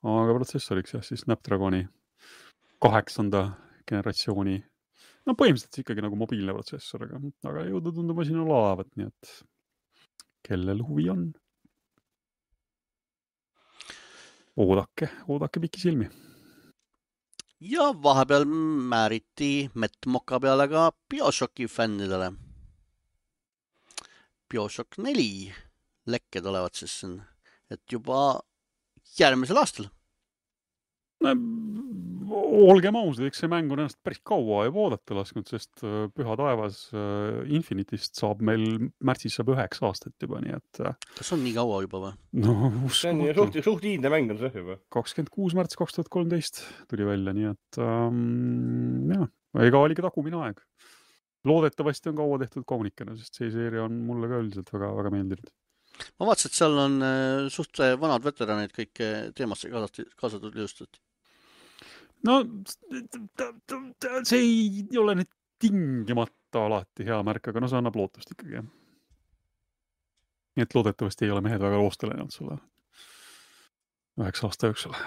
Aga protsessoriks jah, siis Snapdragoni kaheksanda generatsiooni. No põhimõtteliselt ikkagi nagu mobiilne protsessor, aga, aga jõudu tundub siin olavat, nii et kellel huvi on. Oodake, oodake piki silmi. Ja vahepeal määriti Metmoka peale ka BioShocki fännidele. BioShock neli lekked olevat siis, et juba järgmisel aastal. No, olgem ausad, eks see mäng on ennast päris kaua juba oodata lasknud, sest Püha taevas Infinitist saab meil märtsis saab üheks aastat juba, nii et... Kas on nii kaua juba või? No, see on suht, suht hiidne mäng on see juba. kakskümmend kuus märts kaks tuhat kolmteist tuli välja, nii et ähm, jah, ega oli ka takumine aeg. Loodetavasti on kaua tehtud kaunikene, sest see seeria on mulle ka üldiselt väga, väga meeldinud. Ma vaatasin, et seal on suht vanad veteranid kõik teemasse kaasatud ilustat. No, see ei ole nüüd tingimata alati hea märk, aga no see annab lootust ikkagi. Nii et loodetavasti ei ole mehed väga loostele näinud sulle üheks aasta jooksul,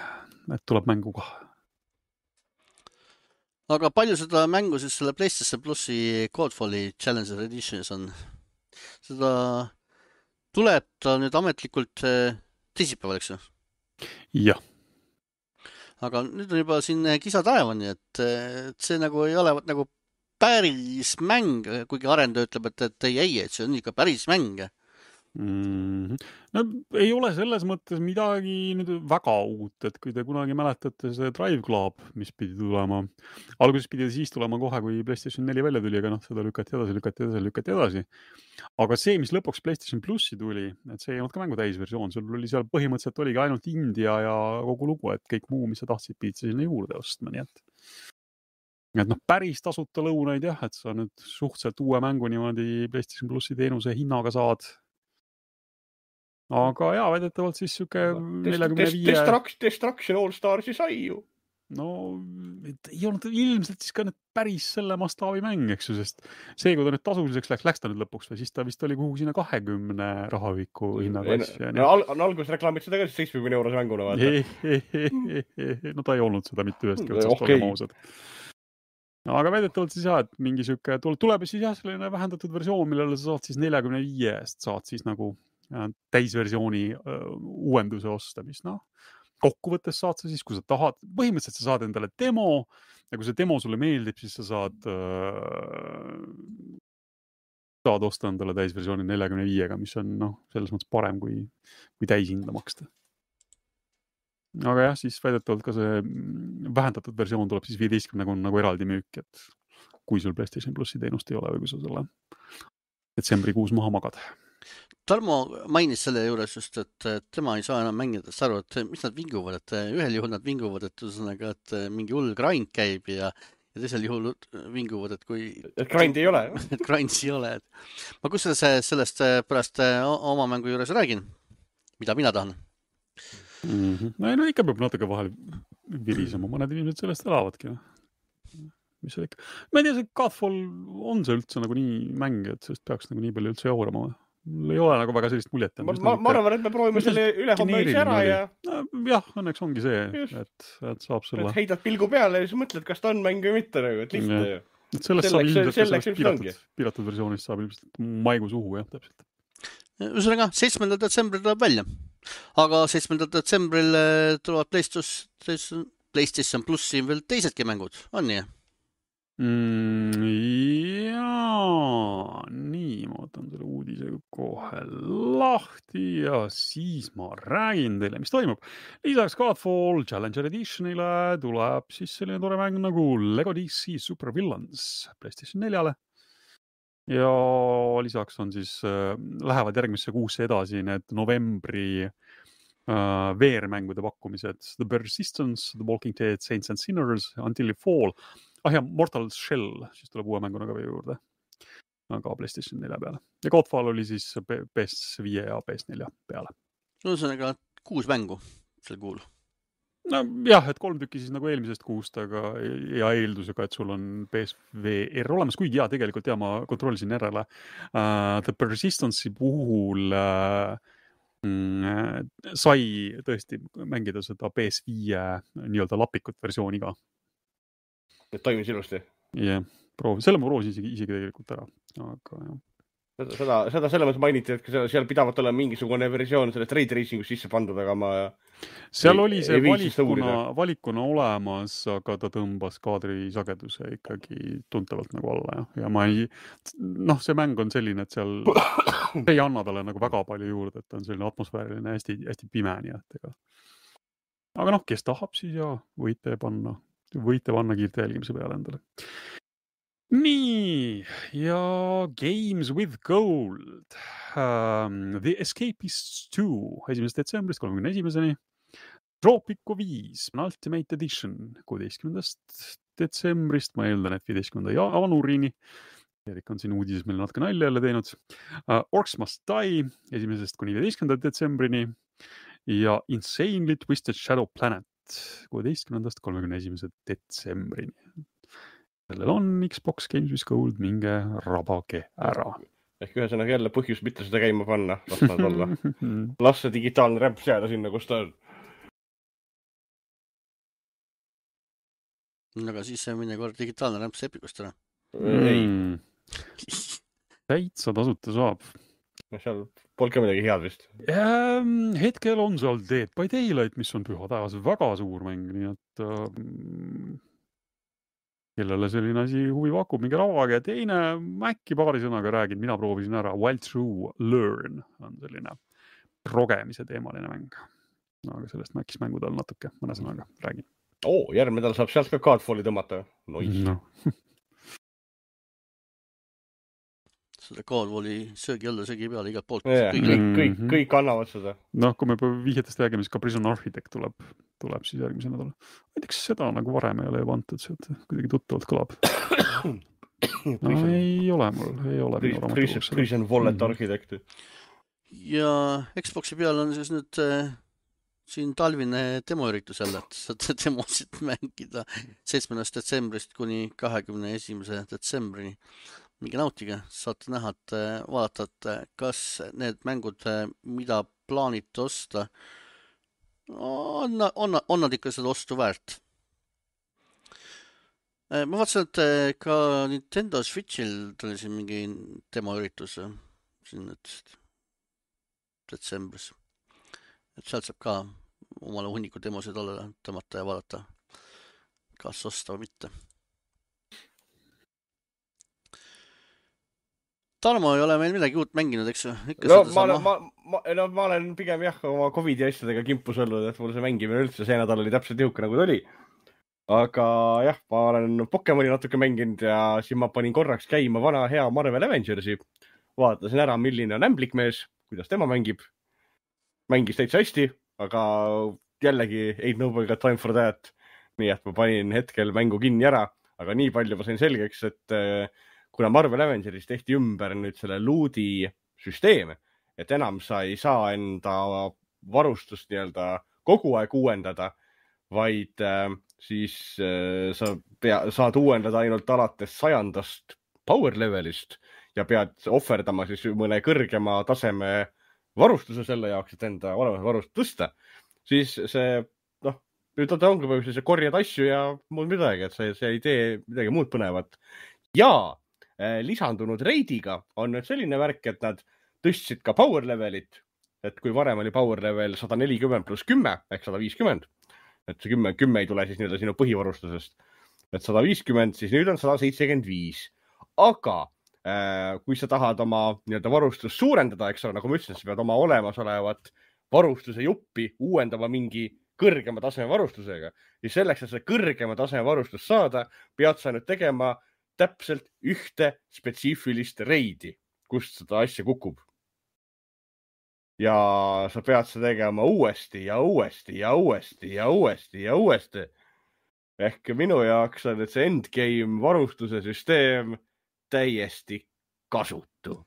et tuleb mängu ka. Aga palju seda mängu siis selle PlayStation Plusi Godfalli Challenger Editionis on? Seda tuleb ta nüüd ametlikult teisipäeval, eks ju? Jah. Aga nüüd on juba siin kisa taevani, et see nagu ei ole nagu päris mäng, kuigi arendaja ütleb, et, et ei, ei, et see on ikka päris mäng. Mm-hmm. No, ei ole selles mõttes midagi nüüd väga uut, et kui te kunagi mäletate see Drive Club, mis pidi tulema, alguses pidi siis tulema kohe, kui PlayStation neli välja tuli, aga noh, seda lükati edasi, lükati edasi, lükati edasi. Aga see, mis lõpuks PlayStation Plusi tuli, et see ei olnud ka mängu täisversioon, sul oli seal põhimõtteliselt oligi ainult India ja kogu lugu, et kõik muu, mis sa tahtsid, pidid sinna juurde ostma, nii et et noh, päris tasuta lõunaid jah, et sa nüüd suhteliselt uue mängu niimoodi PlayStation Plusi teenuse hinnaga saad. Aga jaa, väidetavalt siis siuke neljakümne viie... Destruction All Starsi sai ju. No, ei olnud ilmselt siis ka nüüd päris selle mastaabi mäng, eks ju, sest see, kui ta nüüd tasuliseks läks, läks ta nüüd lõpuks või siis ta vist oli kuhu sinna kahekümne rahaviku hinnaklass. No, al on algus reklaamid seda ka seitsmekümne eurose mänguna vaata. No ta ei olnud seda mitte ühestki otsast okay. Olema ausad. Aga väidetavalt siis jah, et mingi siuke tuleb siis jah selline vähendatud versioon, millele sa saad siis neljakümne viie eest saad siis nagu täisversiooni uh, uuenduse osta, mis noh, kokkuvõttes saad sa siis, kui sa tahad, põhimõtteliselt sa saad endale demo ja kui see demo sulle meeldib, siis sa saad äh, saad osta endale täisversiooni neljakümne viiega, mis on noh, selles mõttes parem kui, kui täishinda maksta. Aga jah, siis väidetavalt ka see vähendatud versioon tuleb siis viieteistkümnega on nagu eraldi müük, et kui sul PlayStation Plussi teenust ei ole või kui sa selle detsembrikuus maha magad. Tarmo mainis selle juures just, et tema ei saa enam mängidest aru, et mis nad vinguvad, et ühel juhul nad vinguvad, et ühesõnaga, et mingi hull grind käib ja, ja teisel juhul vinguvad, et kui... Et grind ei ole. Et grinds ei ole. Ma kusjuures sellest pärast oma mängu juures räägin, mida mina tahan. Mm-hmm. No, no ikka peab natuke vahel virisema, mõned inimesed sellest elavadki. Mis see ikka? Ma ei tea, see Godfall on see üldse nagu nii mäng, et sellest peaks nagu nii palju üldse jaurama või? Mul ei ole nagu väga sellist muljet. Ma, ma, ma arvan, et me proovime selle ülehomme üldse ära ja... No, jah, õnneks ongi see, et, et saab selle... Et heidad pilgu peale ja siis mõtled, kas ta on mäng või mitte, nagu, et lihtne ju. Et sellest saab ilmselt sellest piiratud, piiratud versioonist saab ilmselt maigu suhu, jah, täpselt. Ühesõnaga, seitsmendal detsembril tuleb välja. Aga seitsmendal detsembril tulevad PlayStation, PlayStation Plussi veel teisedki mängud, on nii? Mm, jaa, nii, ma võtan selle uudise kohe lahti ja siis ma räägin teile, mis toimub. Lisaks Godfall Challenger Editionile tuleb siis selline tore mäng nagu Lego D C Super Villains PlayStation neljale. Ja lisaks on siis, äh, lähevad järgmisse kuusse edasi need novembri äh, V R-mängude pakkumised. The Persistence, The Walking Dead, Saints and Sinners, Until You Fall. Ah ja, Mortal Shell, siis tuleb uue mänguna ka juurde. Aga PlayStation nelja peale. Ja Godfall oli siis P S viis ja P S neli peale. Ühesõnaga kuus mängu sel kuul. No jah, et kolm tükki siis nagu eelmisest kuust, aga ja eeldusega, et sul on P S V R olemas, kuigi ja tegelikult ja ma kontrollisin järele. Uh, The Persistence'i puhul uh, mm, sai tõesti mängida seda P S viis nii-öelda lapikut versiooni ka. Et toimis ilusti. Jah, yeah, proovi. Selle ma proovisin isegi, isegi tegelikult ära. Aga jah. Seda, seda, seda selle mõttes mainiti, et seal pidavat olla mingisugune versioon sellest Ray Tracingus sisse pandud, aga ma... Seal ei, oli see valikuna, valikuna olemas, aga ta tõmbas kaadri sageduse ikkagi tuntavalt nagu alla. Ja, ja ma ei... Noh, see mäng on selline, et seal ei anna talle nagu väga palju juurde, et ta on selline atmosfääriline, hästi, hästi pime, nii et ega. Aga noh, kes tahab, siis ja võite panna. Võite panna kiirte jälgimise peale endale. Nii, ja Games with Gold. Um, The Escapists two, esimesest detsembrist kolmekümne esimeseni. Tropico viis, Ultimate Edition, kuueteistkümnendast detsembrist, ma eeldan, et viieteistkümnenda jaanuarini. Erik on siin uudises meil natuke nalja jälle teinud. Uh, Orcs Must Die, esimesest kuni viieteistkümnenda detsembrini. Ja Insanely Twisted Shadow Planet. kuueteistkümnendast kolmekümne esimese detsembrini. Sellel on Xbox Games with Gold, minge rabage ära. Ehk ühesõnaga jälle põhjus mitte seda käima panna. Las nad olla. Las see digitaalne rämps jääda sinna, kus ta on. Aga siis see minne kord digitaalne rämps Epicust ära. Ei. Täitsa tasuta saab. Seal polka midagi head vist. Ähm, hetkel on seal Dead by Daylight, mis on püha taevas väga suur mäng, nii et ähm, kellele selline asi huvi pakub, mingi ravage. Teine äkki paari sõnaga räägin, mina proovisin ära. Wild True Learn on selline progemise teemaline mäng. Aga sellest mäkis mängude all natuke mõne sõnaga räägin. Oo, järgmine nädal saab sealt ka Godfalli tõmmata. Nois. No. Seda Godfalli söögi alla, söögi peale igalt poolt. Yeah, kõik, kõik, kõik annavad seda. Noh, kui me vihjetest räägime, siis ka Prison Architect tuleb, tuleb siis järgmise nädala. Ma ei tea, kas seda nagu varem ei ole vantud, sealt kuidagi tuttavalt kõlab. No, ei ole mul, ei ole. Prison, prison Wallet mm-hmm. Architect. Ja Xboxi peal on siis nüüd äh, siin talvine demoüritus jälle, et saate demosid mängida seitsmendast detsembrist kuni kahekümne esimese detsembrini. Mingi nautige, saate näha, et vaadata, et kas need mängud, mida plaanite osta, on, on, on nad ikka seda ostu väärt. Ma vaatasin, et ka Nintendo Switchil tuli siin mingi demoüritus siin nüüd detsembris. Et sealt saab ka omale hunniku demosid alla tõmmata ja vaadata, kas osta või mitte. Tarmo ei ole meil midagi uut mänginud, eks ju? No ma, olen, ma, ma, no ma olen pigem jah oma Covidi asjadega kimpus olnud, et mul see mängimine üldse see nädal oli täpselt nihuke nagu ta oli. Aga jah, ma olen Pokemoni natuke mänginud ja siis ma panin korraks käima vana hea Marvel Avengersi. Vaatasin ära, milline on ämblikmees, kuidas tema mängib. Mängis täitsa hästi, aga jällegi ain't nobody got time for that. Nii et ma panin hetkel mängu kinni ära, aga nii palju ma sain selgeks, et kuna Marvel Avengeris tehti ümber nüüd selle loodi süsteem, et enam sa ei saa enda varustust nii-öelda kogu aeg uuendada, vaid äh, siis äh, sa pea, saad uuendada ainult alates sajandast power levelist ja pead ohverdama siis mõne kõrgema taseme varustuse selle jaoks, et enda olemas varustust tõsta, siis see, noh, nüüd ongi põhjus, see korjad asju ja muud midagi, et see, see ei tee midagi muud põnevat. Ja äh, lisandunud reidiga on nüüd selline värk, et nad tõstsid ka power levelit, et kui varem oli power level sada nelikümmend pluss kümme ehk sada viiskümmend, et see kümme, kümme ei tule siis nii-öelda sinu põhivarustusest, et sada viiskümmend, siis nüüd on sada seitsekümmend viis. Aga äh, kui sa tahad oma nii-öelda varustust suurendada, eks ole, nagu ma ütlesin, sa pead oma olemasolevat varustuse juppi uuendama mingi kõrgema taseme varustusega. Ja selleks, et see kõrgema taseme varustust saada, pead sa nüüd tegema täpselt ühte spetsiifilist reidi, kust seda asja kukub. Ja sa pead seda tegema uuesti ja uuesti ja uuesti ja uuesti ja uuesti. Ehk minu jaoks on see endgame varustuse süsteem täiesti kasutu.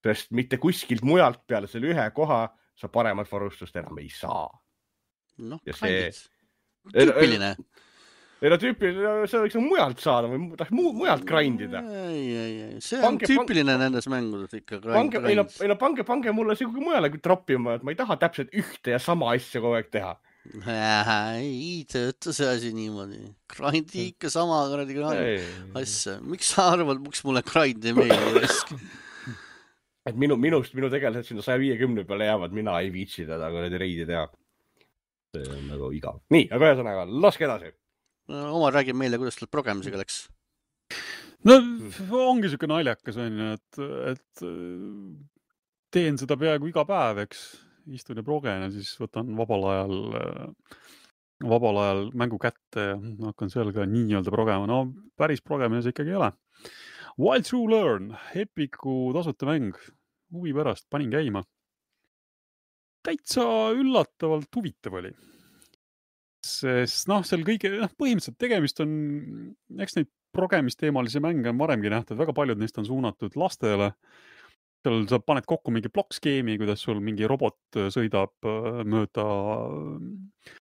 Sest mitte kuskilt mujalt peale selle ühe koha sa paremat varustust enam ei saa. Noh, see... tüüpiline. Ei no tüüpiline, see võiks mujalt saada või tahaks mu, mujalt grindida. Ei, ei, ei. See on pange, tüüpiline pange, nendes mängudes ikka. Pange, ei no, ei no pange, pange mulle see kui mujale troppima, et ma ei taha täpselt ühte ja sama asja kogu aeg teha. Ei tööta see asi niimoodi. Grindi ikka sama grindi asja. Miks sa arvad, miks mulle grind ei meeldi? Et minu, minust, minu tegelased sinna saja viiekümne peale jäävad, mina ei viitsi teda, kui need reidi teha. See on nagu igav. Nii, aga ühesõnaga, laske edasi. Oma räägib meile, kuidas tal progemisega läks. No ongi siuke naljakas, on ju, et, et teen seda peaaegu iga päev, eks. Istun ja progen ja siis võtan vabal ajal, vabal ajal mängu kätte ja hakkan seal ka nii-öelda progema. No päris progemine see ikkagi ei ole. Wild True Learn, Epiku tasuta mäng. Huvi pärast, panin käima. Täitsa üllatavalt huvitav oli. Sest noh, seal kõige, noh, põhimõtteliselt tegemist on, eks neid progemisteemalisi mänge on varemgi nähtud, väga paljud neist on suunatud lastele. Seal sa paned kokku mingi blokskeemi, kuidas sul mingi robot sõidab mööda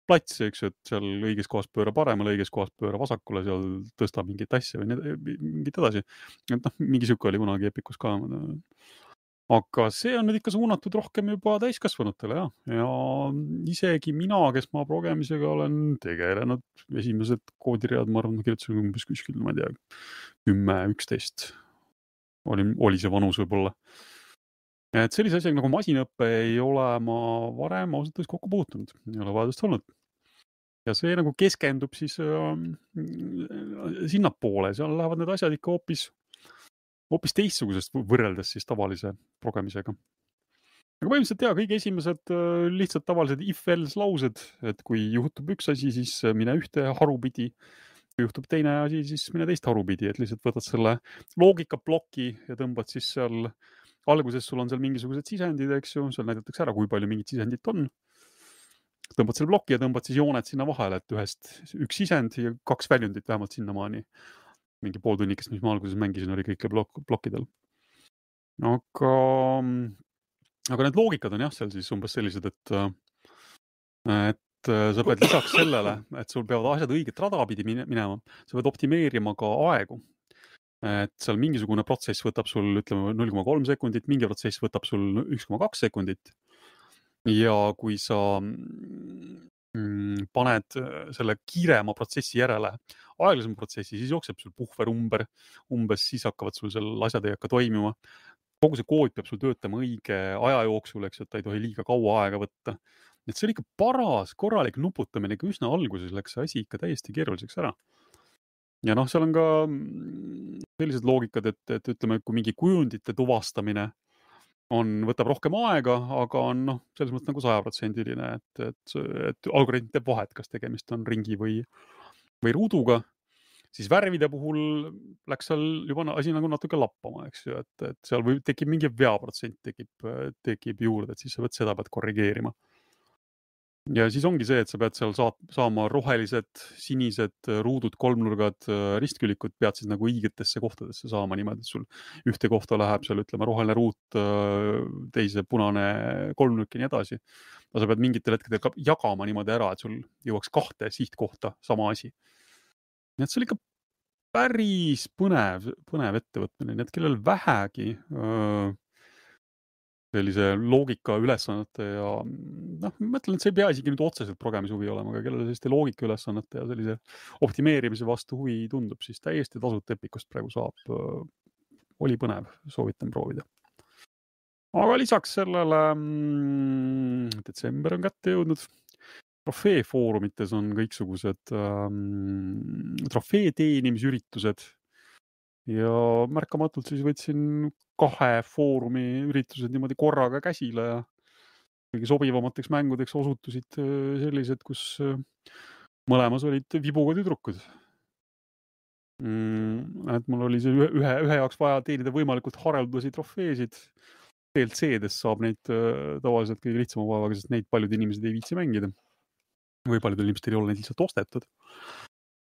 platsi, eks, et seal õiges kohas pööra paremale, õiges kohas pööra vasakule, seal tõsta mingit asja või mingit edasi. Et noh, mingi süke oli kunagi Epikus ka. Aga see on nüüd ikka suunatud rohkem juba täiskasvanutele, jah. Ja isegi mina, kes ma progemisega olen tegelenud, esimesed koodiread, ma arvan, kirjutasin umbes kuskil, ma ei tea, kümme, üksteist oli, oli see vanus võib-olla. Et sellise asjaga nagu masinõppe ei ole ma varem ausalt võis kokku puutunud, ei ole vajadust olnud. Ja see nagu keskendub siis äh, sinnapoole, seal lähevad need asjad ikka hoopis hoopis teistsugusest võrreldes siis tavalise progemisega. Aga põhimõtteliselt jah, kõige esimesed lihtsalt tavalised if-else laused, et kui juhtub üks asi, siis mine ühte harupidi, kui juhtub teine asi, siis mine teist harupidi, et lihtsalt võtad selle loogikaploki ja tõmbad siis seal, alguses sul on seal mingisugused sisendid, eks ju, seal näidatakse ära, kui palju mingit sisendit on. Tõmbad selle ploki ja tõmbad siis jooned sinna vahele, et ühest üks sisend ja kaks väljundit vähemalt sinnamaani. Mingi pool tunnikest, mis ma alguses mängisin, oli kõike blok- blokkidel. Aga, aga need loogikad on jah, seal siis umbes sellised, et, et sa pead lisaks sellele, et sul peavad asjad õiget radapidi minema, sa pead optimeerima ka aegu. Et seal mingisugune protsess võtab sul, ütleme, null koma kolm sekundit, mingi protsess võtab sul üks koma kaks sekundit. Ja kui sa paned selle kiirema protsessi järele aeglasem protsessi, siis jookseb sul puhver umber, umbes siis hakkavad sul seal asjad ei hakka toimima. Kogu see kood peab sul töötama õige aja jooksul, eks, et ta ei tohi liiga kaua aega võtta. et see oli ikka paras korralik nuputamine, ikka üsna alguses läks see asi ikka täiesti keeruliseks ära. Ja noh, seal on ka sellised loogikad, et, et ütleme, kui mingi kujundite tuvastamine on, võtab rohkem aega, aga on noh, selles mõttes nagu sajaprotsendiline, et, et, et algoritm teeb vahet, kas tegemist on ringi või, või ruuduga. Siis värvide puhul läks seal juba asi nagu natuke lappama, eks ju, et, et seal või tekib mingi veaprotsent tekib, tekib juurde, et siis sa pead seda pead korrigeerima. Ja siis ongi see, et sa pead seal saat, saama rohelised, sinised ruudud, kolmnurgad, ristkülikud pead siis nagu õigetesse kohtadesse saama niimoodi, et sul ühte kohta läheb seal, ütleme, roheline ruut, teise punane kolmnurk ja nii edasi. Aga sa pead mingitel hetkedel ka jagama niimoodi ära, et sul jõuaks kahte sihtkohta sama asi. Nii et see oli ikka päris põnev, põnev ettevõtmine, nii et kellel vähegi öö, sellise loogika ülesannete ja noh, ma mõtlen, et see ei pea isegi nüüd otseselt programmishuvi olema, aga kellele selliste loogika ülesannete ja sellise optimeerimise vastu huvi tundub, siis täiesti tasuta Epicust praegu saab. Oli põnev, soovitan proovida. Aga lisaks sellele mm, detsember on kätte jõudnud. Trofee foorumites on kõiksugused ähm, trofee teenimisüritused ja märkamatult siis võtsin kahe foorumi üritused niimoodi korraga käsile ja kõige sobivamateks mängudeks osutusid sellised, kus mõlemas olid vibuga tüdrukud. Mm, et mul oli see ühe, ühe, ühe jaoks vaja teenida võimalikult hareldasi trofeesid. D L C-des saab neid tavaliselt kõige lihtsama vaevaga, sest neid paljud inimesed ei viitsi mängida. Või paljudel inimestel ei ole neid lihtsalt ostetud.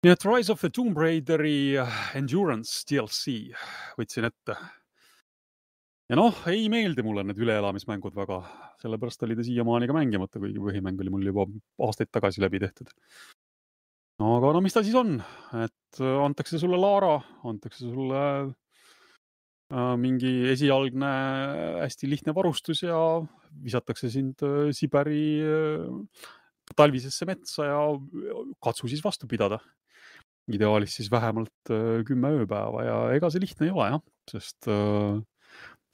Nii et Rise of the Tomb Raideri Endurance D L C võtsin ette. Ja noh, ei meeldi mulle need üleelamismängud väga, sellepärast oli ta siiamaani ka mängimata, kuigi põhimäng oli mul juba aastaid tagasi läbi tehtud. No aga no mis ta siis on? Et antakse sulle Lara, antakse sulle äh, mingi esialgne hästi lihtne varustus ja visatakse sind äh, Siberi äh, talvisesse metsa ja katsu siis vastu pidada. Ideaalis siis vähemalt äh, kümme ööpäeva ja ega see lihtne ei ole, jah, sest äh,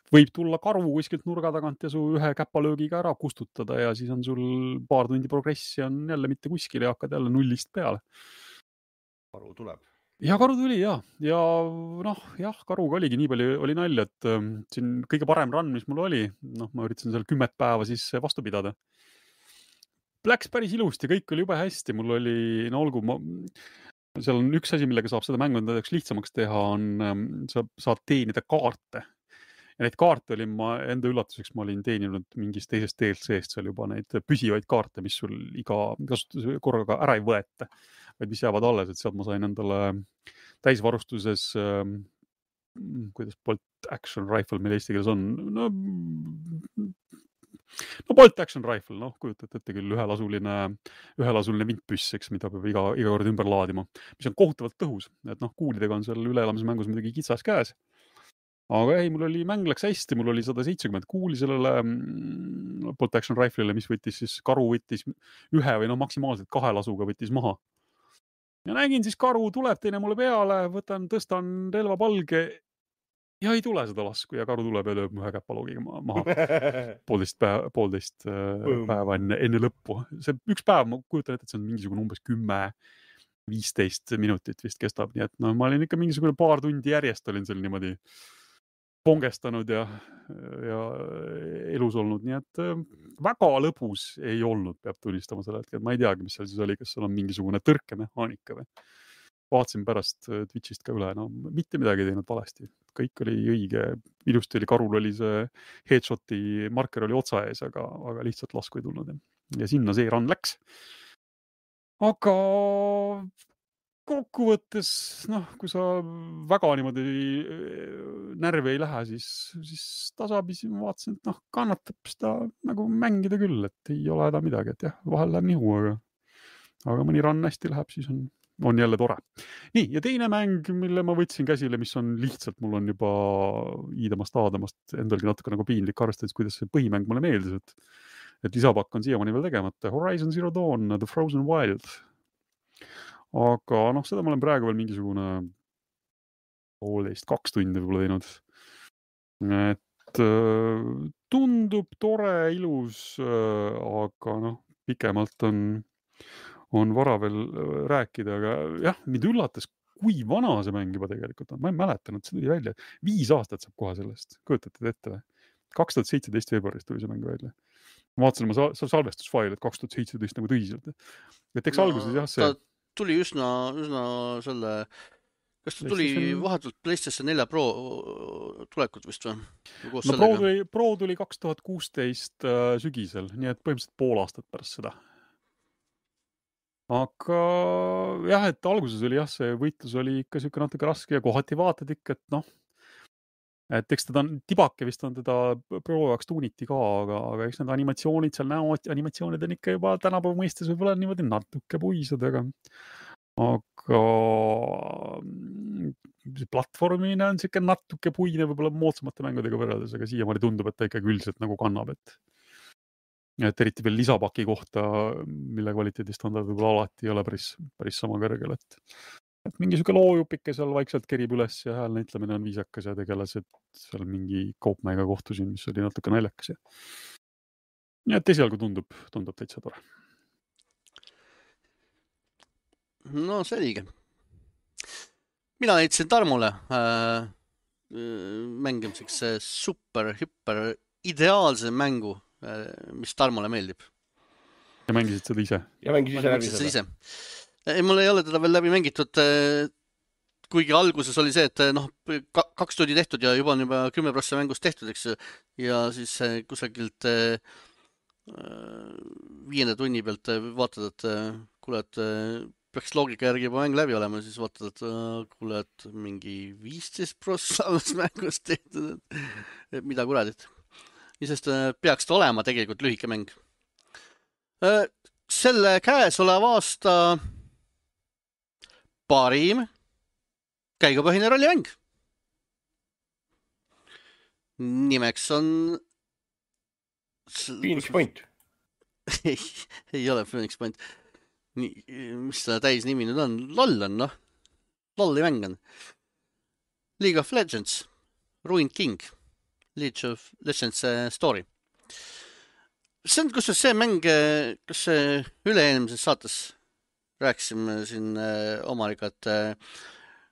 võib tulla karu kuskilt nurga tagant ja su ühe käpalöögiga ära kustutada ja siis on sul paar tundi progressi on jälle mitte kuskil ja hakkad jälle nullist peale. Karu tuleb. Ja karu tuli, jah. Ja noh, jah, karuga oligi nii palju oli nalja, et ähm, siin kõige parem run, mis mul oli, noh, ma üritasin seal kümmet päeva siis vastu pidada. Läks päris ilusti, kõik oli jube hästi, mul oli, no olgu, ma, seal on üks asi, millega saab seda mängu endaks lihtsamaks teha, on, ähm, sa saad teenida kaarte. Ja neid kaarte olin ma enda üllatuseks, ma olin teeninud mingist teisest D L C-st seal juba neid püsivaid kaarte, mis sul iga kasutuse korraga ära ei võeta, vaid mis jäävad alles, et sealt ma sain endale täisvarustuses, ähm, kuidas Bolt Action Rifle meil eesti keeles on, no, no Bolt Action Rifle, noh, kujutate ette küll ühelasuline, ühelasuline vintpüss, eks, mida peab iga, iga kord ümber laadima, mis on kohutavalt tõhus, et noh, kuulidega on seal üleelamismängus muidugi kitsas käes. Aga ei, mul oli, mäng läks hästi, mul oli sada seitsekümmend kuuli sellele mm, Bolt Action Rifle'ile, mis võttis siis, karu võttis ühe või no maksimaalselt kahe lasuga võttis maha. Ja nägin siis, karu tuleb teine mulle peale, võtan, tõstan relva palge ja ei tule seda lasku ja karu tuleb ja lööb ühe käpaloogiga maha. Poolteist päeva, poolteist päeva enne, enne lõppu. See üks päev, ma kujutan ette, et see on mingisugune umbes kümme, viisteist minutit vist kestab, nii et no ma olin ikka mingisugune paar tundi järjest olin seal niimoodi pongestanud ja, ja elus olnud, nii et väga lõbus ei olnud, peab tunnistama selle hetkel. Ma ei teagi, mis seal siis oli, kas seal on mingisugune tõrkemehaanika või. Vaatasin pärast Twitchist ka üle, no mitte midagi teinud valesti. Kõik oli õige, ilusti oli, karul oli see headshoti marker oli otsa ees, aga, aga lihtsalt lasku ei tulnud. Ja sinna see run läks. Aga kokkuvõttes, noh, kui sa väga niimoodi närvi ei lähe, siis, siis tasapisi ma vaatasin, et noh, kannatab seda nagu mängida küll, et ei ole häda midagi, et jah, vahel läheb nihu, aga, aga mõni run hästi läheb, siis on, on jälle tore. Nii, ja teine mäng, mille ma võtsin käsile, mis on lihtsalt, mul on juba iidamast aadamast endalgi natuke nagu piinlik arvestades, kuidas see põhimäng mulle meeldis, et, et lisapakk on siiamaani veel tegemata. Horizon Zero Dawn, The Frozen Wild. Aga noh, seda ma olen praegu veel mingisugune poolteist, kaks tundi võib-olla teinud. Et tundub tore, ilus, aga noh, pikemalt on, on vara veel rääkida, aga jah, mind üllatas, kui vana see mäng juba tegelikult on. Ma ei mäletanud, see tuli välja. Viis aastat saab kohe sellest. Kujutate ette või? kaks tuhat seitseteist veebruaris tuli see mäng välja. Ma vaatasin oma sa salvestusfail, et kaks tuhat seitseteist nagu tõsiselt. Et eks no, alguses jah see... Ta tuli üsna, üsna selle... Kas ta tuli PlayStation... vahetult PlayStation neli Pro tulekut vist või? No Pro tuli, Pro tuli kaks tuhat kuusteist äh, sügisel, nii et põhimõtteliselt pool aastat pärast seda. Aga jah, et alguses oli jah, see võitlus oli ikka siuke natuke raske ja kohati vaatad ikka, et noh, et eks teda on, tibake vist on teda Pro jaoks tuuniti ka, aga, aga eks need animatsioonid seal näo, animatsioonid on ikka juba tänapäeva mõistes võib-olla niimoodi natuke puisad, aga aga platvormine on siuke natuke puine võib-olla moodsamate mängudega võrreldes, aga siiamaani tundub, et ta ikkagi üldiselt nagu kannab, et et eriti veel lisapaki kohta, mille kvaliteedistandard võib-olla alati ei ole päris, päris sama kõrgel, et et mingi siuke loojupike seal vaikselt kerib üles ja hääl näitlemine on viisakas ja tegelased seal mingi kaupmega kohtusin, mis oli natuke naljakas ja ja et esialgu tundub, tundub täitsa tore. No selge. Mina leidsin Tarmole äh, mängimiseks super, hüper, ideaalse mängu, äh, mis Tarmole meeldib. Ja mängisid seda ise? Ja mängisid ise läbi seda? Ise. Ei, mul ei ole teda veel läbi mängitud, äh, kuigi alguses oli see, et noh, kaks tundi tehtud ja juba on juba kümme prossa mängust tehtud, eks, ja siis äh, kusagilt äh, viienda tunni pealt vaatad, et äh, kuule, et äh, peaks loogika järgi juba mäng läbi olema, siis vaatad, et äh, kuule, et mingi viisteist prossa mängust tehtud, et mida kuradit. Ja sest äh, peaks ta olema tegelikult lühike mäng. Äh, selle käes oleva aasta parim käigupõhine rollimäng. Nimeks on Phoenix Point. ei, ei ole Phoenix Point. Nii, mis selle täis nimi nüüd on? LOL on, noh. LOL-i mäng on. League of Legends. Ruined King. League of Legends story. See on, kus see mäng, kas see üle-eelmises saates rääkisime siin omariga, et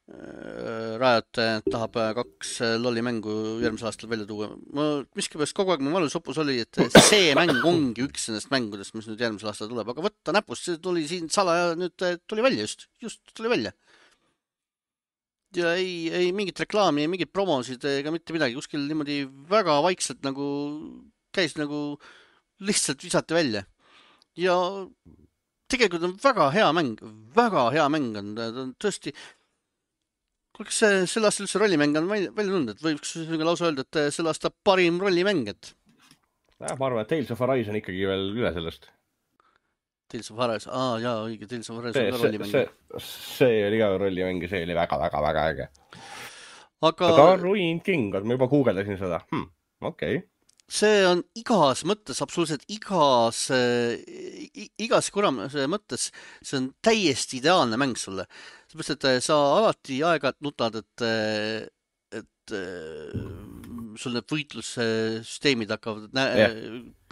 Riot tahab kaks LOL-i mängu järgmisel aastal välja tuua. Ma miskipärast kogu aeg mu valusopus oli, et see mäng ongi üks nendest mängudest, mis nüüd järgmisel aastal tuleb. Aga võtta näpust, see tuli siin salaja, nüüd tuli välja just. Just tuli välja. Ja ei, ei mingit reklaami, ei mingit promosid ega mitte midagi. Kuskil niimoodi väga vaikselt nagu käis nagu lihtsalt visati välja. Ja tegelikult on väga hea mäng. Väga hea mäng on. Ta on tõesti... Kas selle aasta üldse rollimäng on välja tulnud, et võiks lausa öelda, et selle aasta parim rollimäng, et... Ja, ma arvan, et Tales of Arise on ikkagi veel üle sellest. Tales of Arise, aa, jaa, õige, Tales of Arise on ka rollimäng. See, see oli ka rollimäng ja see oli väga, väga, väga äge. Aga... Aga Ruined King, ma juba guugeldasin seda. Hm, okei. Okay. See on igas mõttes, absoluutselt igas, igas kuramuse mõttes, see on täiesti ideaalne mäng sulle. Seepärast, et sa alati aeg-ajalt nutad, et, et sul need võitlussüsteemid hakkavad nä yeah.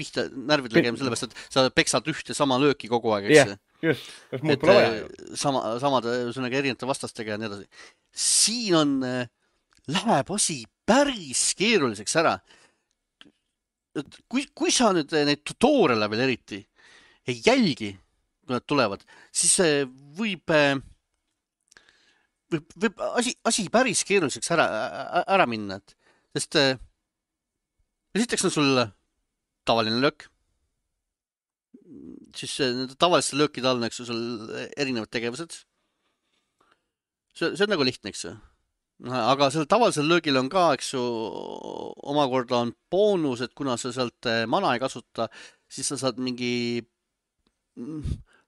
pihta närvid legema, sellepärast, et sa peksad ühte sama lööki kogu aeg, eks? Jah, yeah, just. Kas muud pole vaja ju? Sama, samad erinevate vastastega ja nii edasi. Siin on, läheb asi päris keeruliseks ära. Kui, kui sa nüüd neid tutoriale veel eriti ei jälgi, kui nad tulevad, siis võib, võib, võib asi, asi päris keeruliseks ära, ära minna. Et, sest esiteks on sul tavaline löök. Siis tavaliste löökide all on, eks, sul erinevad tegevused. See, see on nagu lihtne, eks. Aga selle tavalisel löögil on ka, eks ju, omakorda on boonus, et kuna sa sealt mana ei kasuta, siis sa saad mingi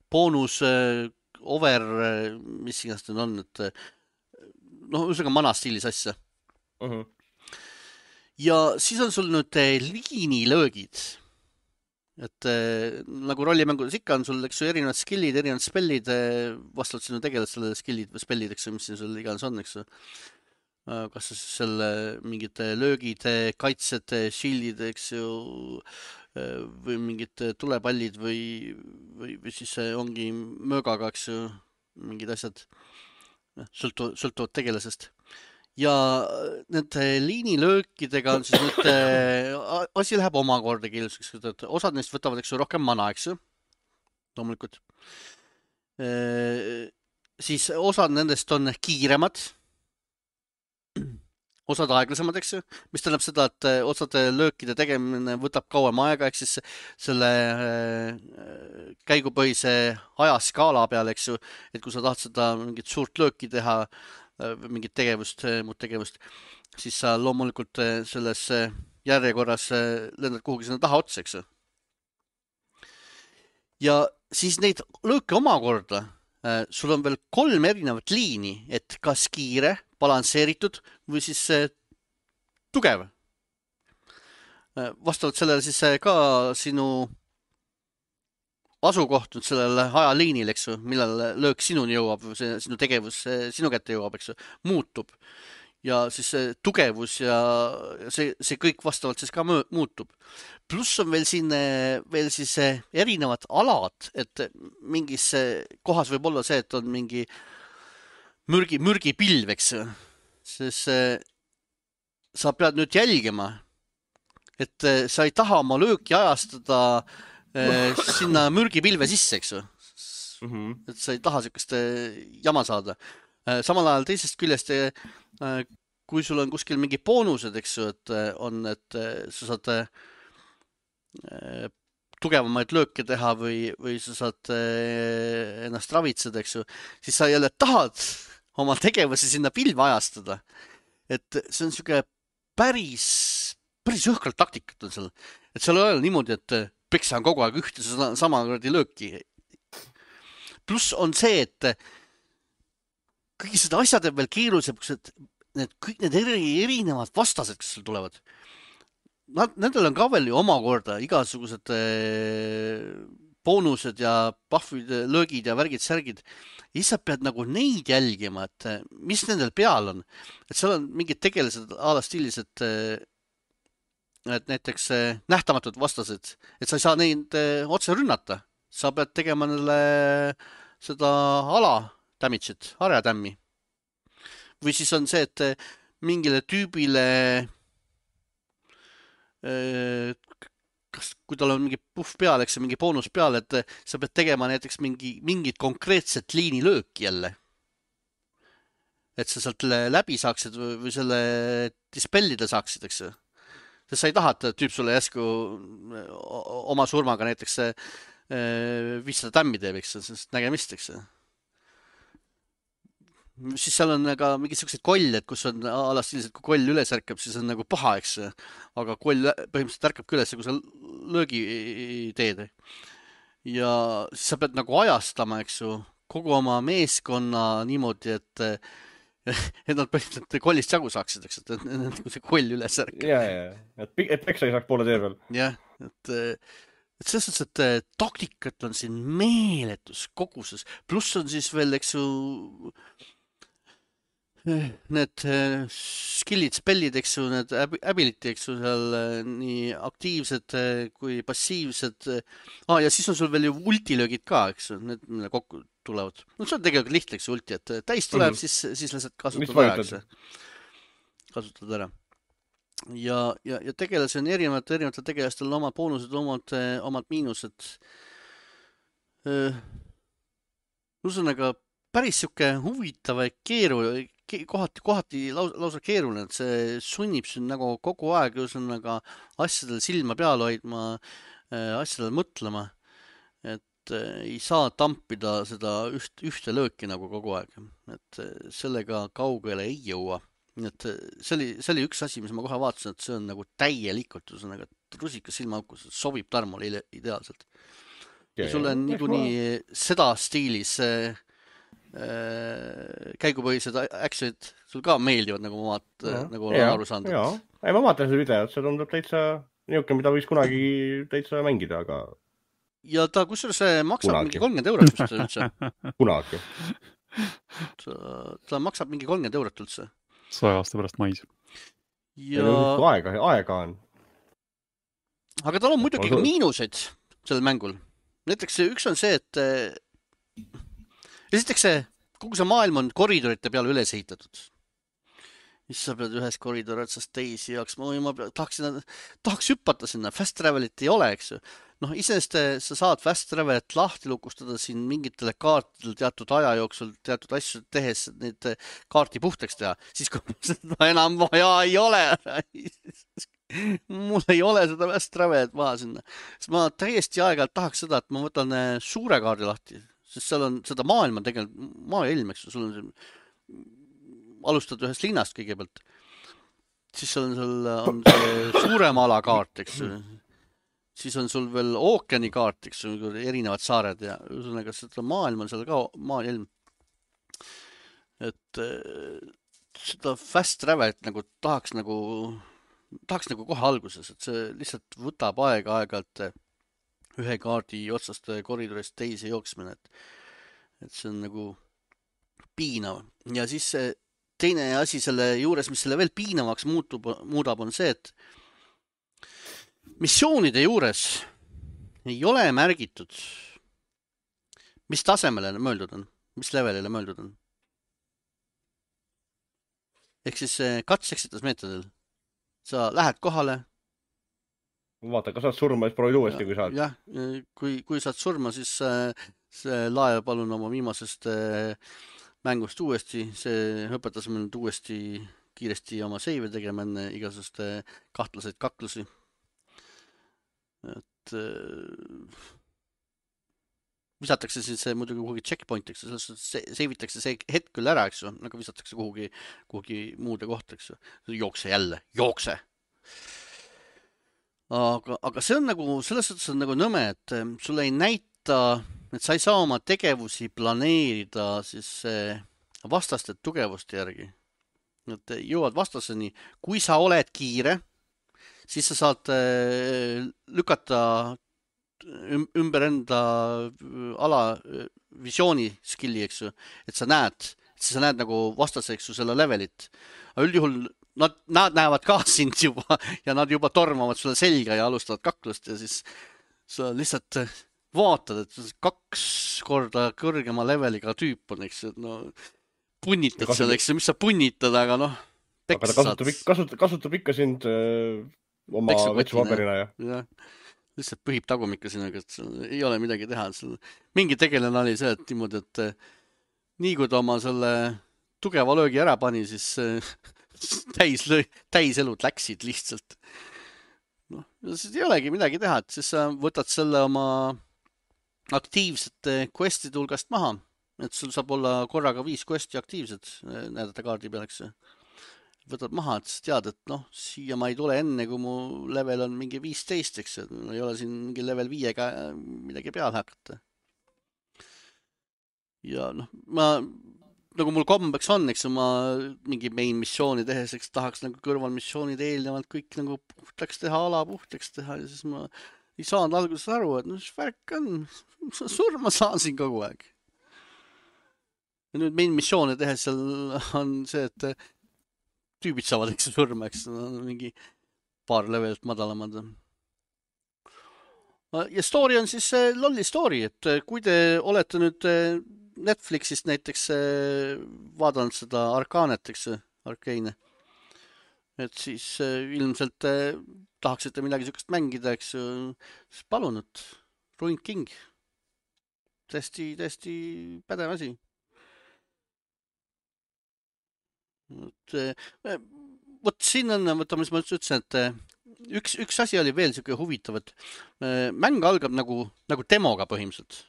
boonus over, mis iganes need on, et noh, ühesõnaga mana stiilis asja. Uh -huh. Ja siis on sul nüüd liinilöögid. Et nagu rollimängudes ikka on sul, eks ju, erinevad skillid, erinevad spellid, vastavalt sinu tegeled selle skillid või spellid, eks ju, mis siin sul iganes on, eks ju. Kas selle mingid löögid, kaitsed, shieldid, eks ju, või mingid tulepallid või, või, või siis ongi möögaga, eks ju, mingid asjad sõltu, sõltuvad tegelasest. Ja nende liinilöökidega on siis nüüd, asi läheb omakorda keeluseks, et osad neist võtavad, eks ju, rohkem mana, eks ju, loomulikult. Siis osad nendest on kiiremad, osad aeglasemad, eks ju, mis tähendab seda, et osade löökide tegemine võtab kauem aega, ehk siis selle käigupõhise ajaskaala peal, eks ju, et kui sa tahad seda mingit suurt lööki teha, mingit tegevust, muud tegevust, siis sa loomulikult selles järjekorras lendad kuhugi sinna taha otsa, eks ju. Ja siis neid lööke omakorda, sul on veel kolm erinevat liini, et kas kiire, balansseeritud või siis tugev. Vastavalt sellele siis ka sinu asukoht sellele ajaliinil, eks ju, millal löök sinuni jõuab, see, sinu tegevus sinu kätte jõuab, eks ju, muutub. Ja siis see tugevus ja see, see kõik vastavalt siis ka muutub. Pluss on veel siin veel siis erinevad alad, et mingis kohas võib olla see, et on mingi mürgi, mürgipilv, eks ju. Siis sa pead nüüd jälgima, et sa ei taha oma lööki ajastada sinna mürgipilve sisse, eks ju. Mm-hmm. Et sa ei taha sellist jama saada. Samal ajal teisest küljest, kui sul on kuskil mingi boonused, eks ju, et on, et sa saad tugevamaid lööke teha või, või sa saad ennast ravitseda, eks ju, siis sa jälle tahad oma tegevusi sinna pilve ajastada. Et see on siuke päris, päris õhkralt taktikat on seal. Et seal ei ole niimoodi, et peksa on kogu aeg ühte sama lööki. Pluss on see, et kõigi seda asjad on veel keerulisemaks, et need, kõik need eri, erinevad vastased, kes seal tulevad. Nad, nendel on ka veel ju omakorda igasugused boonused ja buffid, löögid ja värgid, särgid. Ja siis sa pead nagu neid jälgima, et mis nendel peal on. Et seal on mingid tegelased ala stiilis, et, et näiteks nähtamatud vastased, et sa ei saa neid otse rünnata. Sa pead tegema neile seda ala damage'it, harjatämmi. Või siis on see, et mingile tüübile, kas, kui tal on mingi puff peal, eks mingi boonus peal, et sa pead tegema näiteks mingi, mingit konkreetset liinilööki jälle. Et sa sealt läbi saaksid või, või selle dispellida saaksid, eks. Sest sa ei taha, et tüüp sulle jäsku oma surmaga näiteks viissada tämmi teeb, eks, sest nägemist, eks. Siis seal on ka mingid sellised kollid, kus on alas sellised, kui koll üles ärkab, siis on nagu paha, eks. Aga koll põhimõtteliselt ärkab üles, kui sa löögi teed. Ja siis sa pead nagu ajastama, eks ju, kogu oma meeskonna niimoodi, et et nad põhimõtteliselt kollist jagu saaksid, eks, et kui see koll üles ärkab. Ja, ja, et, et peksa ei saaks poole tee veel. Jah, et, et selles suhtes, et taktikat on siin meeletus koguses. Pluss on siis veel, eks ju, need skillid, spellid, eks ju, need ability, eks ju, seal nii aktiivsed kui passiivsed. Ah, ja siis on sul veel ju ultilöögid ka, eks ju, need kokku tulevad. No see on tegelikult lihtne, eks ju, ulti, et täis tuleb, mm-hmm. siis, siis lihtsalt kasutad ära, eks ju. Kasutad ära. Ja, ja, ja tegelasi on erinevad, erinevatel tegelastel on omad boonused, omad, omad miinused. Ühesõnaga päris siuke huvitav ja keeru, kohati, kohati lausa, lausa keeruline, et see sunnib sind nagu kogu aeg ühesõnaga asjadel silma peal hoidma, asjadel mõtlema, et ei saa tampida seda üht, ühte lööki nagu kogu aeg, et sellega kaugele ei jõua. Et see oli, see oli üks asi, mis ma kohe vaatasin, et see on nagu täielikult ühesõnaga rusikas silmaaukus, sobib Tarmole ideaalselt. Ja sulle on niikuinii seda stiilis käigupõhised actionid sul ka meeldivad, nagu ma vaat, ja, nagu olen aru saanud. Jaa, ei, ma vaatan seda videot, see tundub täitsa niuke, mida võiks kunagi täitsa mängida, aga... Ja ta kusjuures maksab kunagi. Mingi kolmkümmend eurot vist üldse. Kunagi. Ta, ta maksab mingi kolmkümmend eurot üldse. Saja aasta pärast mais. Ja... Aega, aega on. aga tal on muidugi ka miinuseid sellel mängul. Näiteks üks on see, et esiteks see, kogu see maailm on koridorite peale üles ehitatud. Mis sa pead ühes koridori otsast teisi jaoks, ma, ma tahaksin, tahaks hüppata sinna, fast travelit ei ole, eks ju. Noh, iseenesest sa saad fast travelit lahti lukustada siin mingitele kaartidel teatud aja jooksul, teatud asju tehes neid kaarti puhtaks teha, siis kui seda enam vaja ei ole. Mul ei ole seda fast travelit maha sinna. Sest ma täiesti aeg-ajalt tahaks seda, et ma võtan suure kaardi lahti, sest seal on seda maailma tegelikult, maailm, eks ju, sul on see alustad ühest linnast kõigepealt, siis on sul on see suurem alakaart, eks ju. Siis on sul veel ookeani kaart, eks ju, erinevad saared ja ühesõnaga seda maailm on seal ka maailm. Et seda fast travelit nagu tahaks nagu, tahaks nagu kohe alguses, et see lihtsalt võtab aega aegalt ühe kaardi otsast koridorist teise jooksmine, et, et see on nagu piinav. Ja siis see teine asi selle juures, mis selle veel piinavaks muutub, muudab, on see, et missioonide juures ei ole märgitud, mis tasemele mõeldud on, mis levelile mõeldud on. Ehk siis katseksitusmeetodil. Sa lähed kohale. Vaata, kas saad surma, siis proovid uuesti, kui saad. Jah, kui, kui saad surma, siis see lae palun oma viimasest mängust uuesti, see õpetas meil nüüd uuesti kiiresti oma seive tegema enne igasust kahtlaseid kaklusi. Et visatakse siis see muidugi kuhugi checkpointiks, seivitakse see hetk küll ära, eks ju, aga visatakse kuhugi, kuhugi muude kohta, eks ju. Jookse jälle, jookse! Aga, aga see on nagu, selles suhtes on nagu nõme, et sulle ei näita, et sa ei saa oma tegevusi planeerida siis vastaste tugevuste järgi. Et jõuad vastaseni, kui sa oled kiire, siis sa saad lükata ümber enda ala visiooni skilli, eks ju, et sa näed, et sa näed nagu vastase, eks ju, selle levelit. Aga üldjuhul nad, nad näevad ka sind juba ja nad juba tormavad sulle selga ja alustavad kaklust ja siis sa lihtsalt vaatad, et kaks korda kõrgema leveliga tüüp on, eks ju, no punnitad seal, eks ju, mis sa punnitad, aga noh, aga ta kasutab, kasutab, kasutab ikka sind öö, oma vetsupaberina ja. ja. Lihtsalt põhib tagumikku sinuga, et ei ole midagi teha. Mingi tegelane oli see, et niimoodi, et nii kui ta oma selle tugeva löögi ära pani, siis täis, löö, täis elud läksid lihtsalt. Noh, siis ei olegi midagi teha, et siis sa võtad selle oma aktiivsete questide hulgast maha, et sul saab olla korraga viis questi aktiivsed näidata kaardi peal, eks. Võtad maha, et tead, et noh, siia ma ei tule enne, kui mu level on mingi viisteist, eks, et ei ole siin mingi level viiega midagi peale hakata. Ja noh, ma, nagu mul kombeks on, eks, ma mingi main missiooni tehes, eks, tahaks nagu kõrvalmissioonid eelnevalt kõik nagu puhtaks teha, ala puhtaks teha ja siis ma ei saanud alguses aru, et noh, mis värk on, surma saan siin kogu aeg. Ja nüüd main missiooni tehes seal on see, et tüübid saavad, eks, surma, eks, mingi paar levelit madalamad. Ja story on siis lolli story, et kui te olete nüüd Netflixist näiteks vaadanud seda Arkanet, eks, Arkeine, et siis ilmselt tahaksite midagi sükest mängida, eks, siis palun, et Ruined King. Tästi, tästi pädev asi. Et, võt siin on, võtame, mis ma ütlesin, et üks, üks asi oli veel siuke huvitav, et mäng algab nagu, nagu demoga põhimõtteliselt.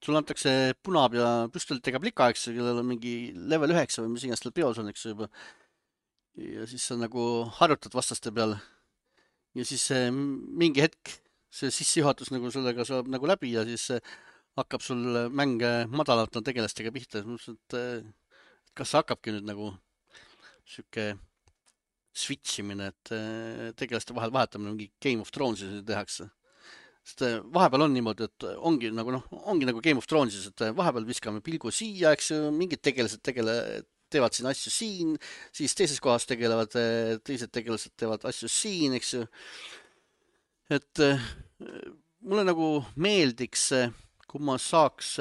Sul antakse punab ja püstolitega plika, eks, kellel on mingi level üheksa või mis iganes tal peos on, eks juba. Ja siis sa nagu harjutad vastaste peal. Ja siis mingi hetk see sissejuhatus nagu sellega saab nagu läbi ja siis hakkab sul mäng madalalt tegelastega pihta. Et kas hakkabki nüüd nagu siuke switchimine, et tegelaste vahel vahetamine mingi Game of Thronesis tehakse. Sest vahepeal on niimoodi, et ongi nagu, noh, ongi nagu Game of Thronesis, et vahepeal viskame pilgu siia, eks ju, mingid tegelased tegele, teevad siin asju siin, siis teises kohas tegelevad, teised tegelased teevad asju siin, eks ju. et mulle nagu meeldiks, kui ma saaks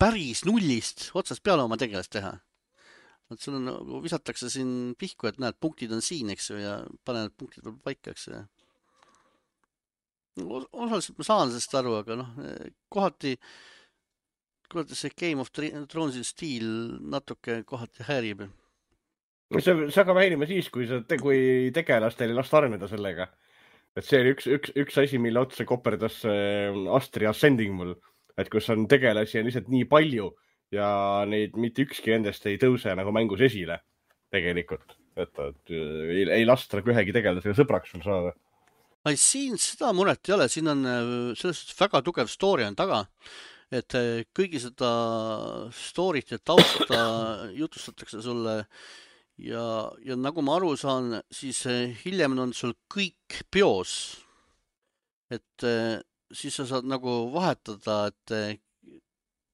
päris nullist otsast peale oma tegelast teha. Et sul on, nagu visatakse siin pihku, et näed, punktid on siin, eks ju, ja pane need punktid veel paika, eks ju. Osaliselt ma saan sellest aru, aga noh, kohati, kohati see Game of Thrones'i stiil natuke kohati häärib. See, see hakkab häirima siis, kui, sa, kui tegelastel ei lasta areneda sellega. Et see oli üks, üks, üks asi, mille otsa koperdas Astri Ascending mul. Et kus on tegelasi on lihtsalt nii palju ja neid mitte ükski endast ei tõuse nagu mängus esile tegelikult. Et, et ei, ei lasta nagu ühegi tegelasega sõbraks sul saada. Ai, siin seda muret ei ole. Siin on selles väga tugev story on taga. Et kõigi seda story't ja tausta jutustatakse sulle ja, ja nagu ma aru saan, siis hiljem on sul kõik peos. Et siis sa saad nagu vahetada, et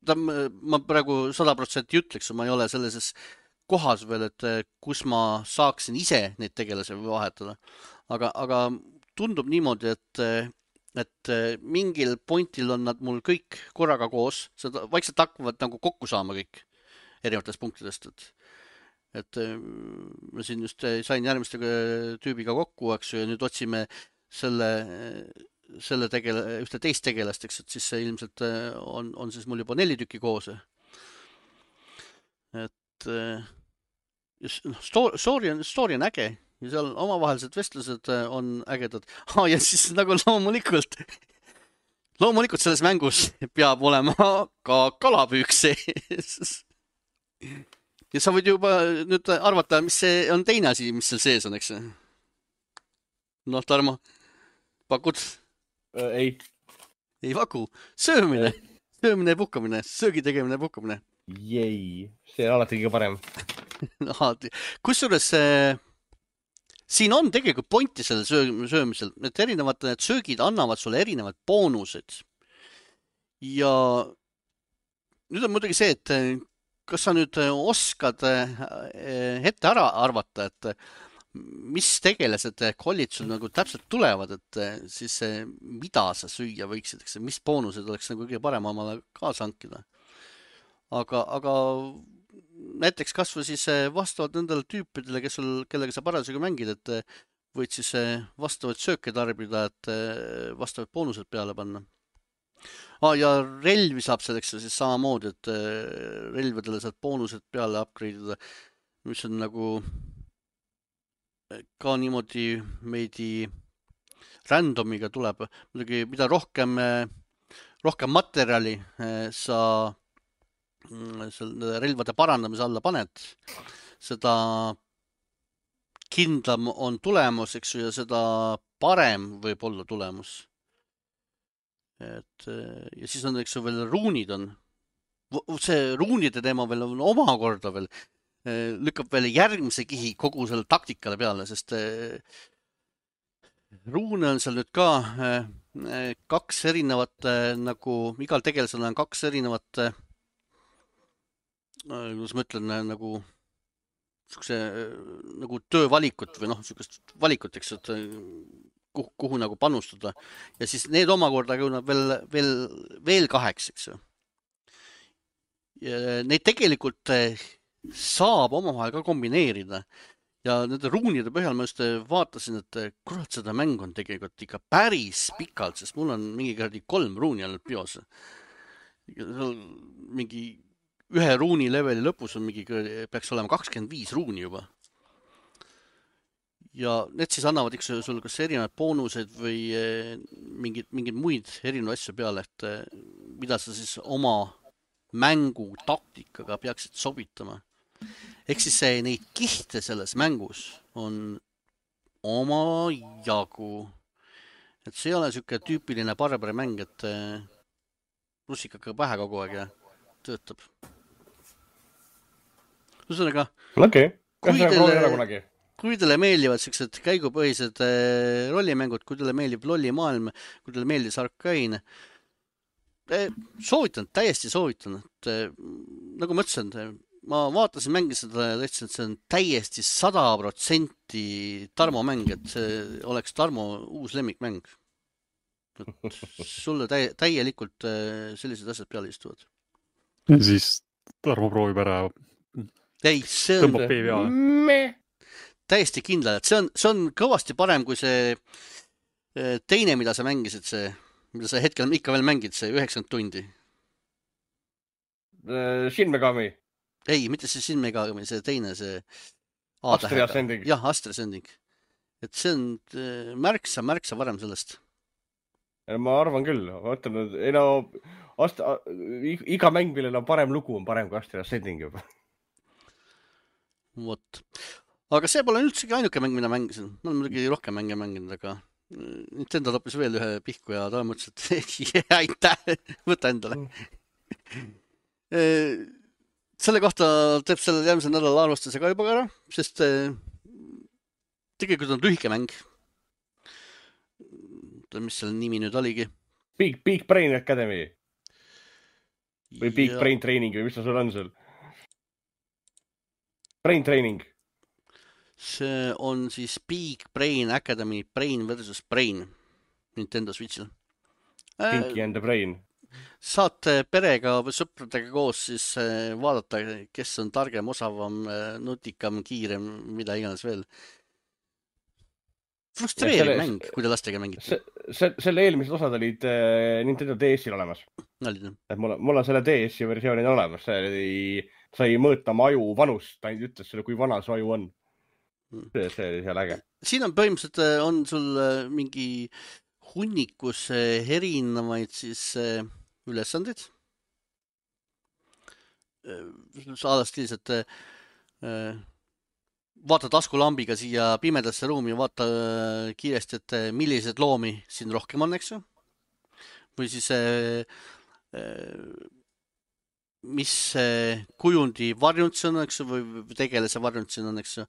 ta, ma praegu sada protsenti ütleks, ma ei ole sellises kohas veel, et kus ma saaksin ise neid tegelasi vahetada. Aga, aga tundub niimoodi, et, et mingil pointil on nad mul kõik korraga koos, seda vaikselt hakkavad nagu kokku saama kõik erinevatest punktidest. Et, et ma siin just sain järgmiste tüübiga kokku, eks ju, ja nüüd otsime selle selle tegele, ühte teist tegelast, eks, et siis see ilmselt on, on siis mul juba neli tükki koos. Et story, story, on, story on äge ja seal omavahelised vestlused on ägedad. Ah, ja siis nagu loomulikult, loomulikult selles mängus peab olema ka kalapüük sees. Ja sa võid juba nüüd arvata, mis see on teine asi, mis seal sees on, eks? Noh, Tarmo, pakud? Ei. Ei paku. Söömine. Söömine ja puhkamine. Söögi tegemine ja puhkamine. Jei. See on alati kõige parem. Kusjuures siin on tegelikult pointi selle söömisel. Need erinevad need söögid annavad sulle erinevad boonused. Ja nüüd on muidugi see, et kas sa nüüd oskad ette ära arvata, et mis tegelased kollid sul nagu täpselt tulevad, et siis mida sa süüa võiksid, eks, mis boonused oleks nagu kõige parem omale kaasa hankida. Aga, aga näiteks kas või siis vastavalt nendele tüüpidele, kes sul, kellega sa parasjagu mängid, et võid siis vastavaid sööke tarbida, et vastavad boonused peale panna. Ah, ja relvi saab selleks siis samamoodi, et relvidele saad boonused peale upgrade'ida, mis on nagu ka niimoodi meidi randomiga tuleb. Muidugi, mida rohkem, rohkem materjali sa relvade parandamise alla paned, seda kindlam on tulemus, eks ju, ja seda parem võib olla tulemus. Et, ja siis on, eks ju, veel ruunid on. See ruunide teema veel on omakorda veel lükkab veel järgmise kihi kogu selle taktikale peale, sest ruune on seal nüüd ka kaks erinevat, nagu igal tegelasel on kaks erinevat, kuidas ma ütlen, nagu sukse, nagu töövalikut või noh, sukest valikut, eks, et kuhu, kuhu nagu panustada. Ja siis need omakorda jõuavad veel, veel, veel kaheks, eks ju. Ja neid tegelikult saab omavahel ka kombineerida ja nende ruunide põhjal ma just vaatasin, et kurat, seda mäng on tegelikult ikka päris pikalt, sest mul on mingi kõrdi kolm ruuni ainult bios. Mingi ühe ruuni leveli lõpus on mingi, peaks olema kakskümmend viis ruuni juba. Ja need siis annavad ikka sul kas erinevad boonused või mingid, mingid muid erinevad asju peale, et mida sa siis oma mängu taktikaga peaksid sobitama. Ehk siis see, neid kihte selles mängus on oma jagu. Et see ei ole selline tüüpiline barbari mäng, et russikaga pähe kogu aeg ja töötab. Ühesõnaga, okay. kui, teile, kui teile meeldivad sellised käigupõhised rollimängud, kui teile meeldib lollimaailm, kui teile meeldis Arcane, soovitan, täiesti soovitan. Et, nagu ma ütlesin, ma vaatasin mängi seda ja tõtsin, et see on täiesti sada protsenti Tarmo mäng, et see oleks Tarmo uus lemmikmäng. sulle täi- täielikult sellised asjad peale istuvad. Ja siis Tarmo proovib ära. Ei, see on tõmbab P V A. täiesti kindlal, et see on, see on kõvasti parem kui see teine, mida sa mängisid, see, mida sa hetkel ikka veel mängid, see üheksakümmend tundi. Shin Megami. Ei, mitte see Shin Megami, see teine, see Astria Ascending. Jah, Astria Ascending. Et see on märksa, märksa varem sellest. Ma arvan küll. Vaatan, ei no, Astra, iga mäng, millel on parem lugu, on parem kui Astria Ascending juba. Vot. Aga see pole üldsegi ainuke mäng, mida mängisin. Ma olen muidugi rohkem mänge mänginud, aga Nintendo loppis veel ühe pihku ja ta mõtles, et aitäh, võta endale. Selle kohta teeb selle järgmise nädala arvustuse ka juba ära, sest tegelikult on lühike mäng. Mis selle nimi nüüd oligi? Big, Big Brain Academy. Või Big ja... Brain Training või mis ta sul on sul? Brain Training. See on siis Big Brain Academy, Brain versus Brain Nintendo Switchil. Pinky and the Brain. Saate perega või sõpradega koos siis vaadata, kes on targem, osavam, nutikam, kiirem, mida iganes veel. Frustreeriv selle, mäng, kui te lastega mängite. Se, se, selle eelmised osad olid äh, Nintendo D S-il olemas. Olid, et mul, mul on selle D S-i versioonid olemas. See sai mõõta oma aju vanust. Ta ainult ütles selle, kui vana su aju on. See, see oli seal äge. Siin on põhimõtteliselt on sul mingi hunnikus erinevaid siis ülesandid. Saadastilis, et vaata taskulambiga siia pimedasse ruumi ja vaata kiiresti, et millised loomi siin rohkem on, eks ju? Või siis mis kujundi varjund see on, eks ju, või tegelase varjund siin on, eks ju?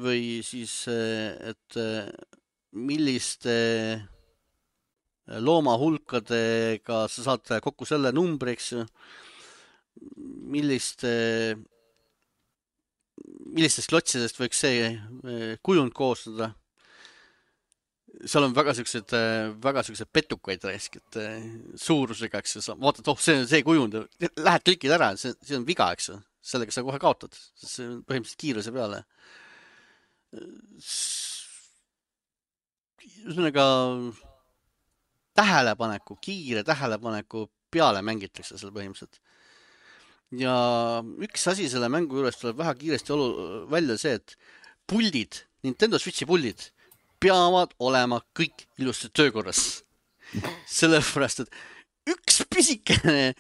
Või siis, et milliste loomahulkadega sa saad kokku selle numbri, eks ju? Milliste millistest klotsidest võiks see kujund koostada. Seal on väga sellised, väga sellised petukaid raiskid suurusega, eks ju. Vaatad, oh, see on see kujund. Lähed klikid ära, see, see on viga, eks ju. Sellega sa kohe kaotad. See on põhimõtteliselt kiiruse peale. Ühesõnaga tähelepaneku, kiire tähelepaneku peale mängitakse seal põhimõtteliselt. Ja üks asi selle mängu juures tuleb väga kiiresti olu, välja see, et puldid, Nintendo Switchi puldid peavad olema kõik ilusti töökorras. Sellepärast, et üks pisikene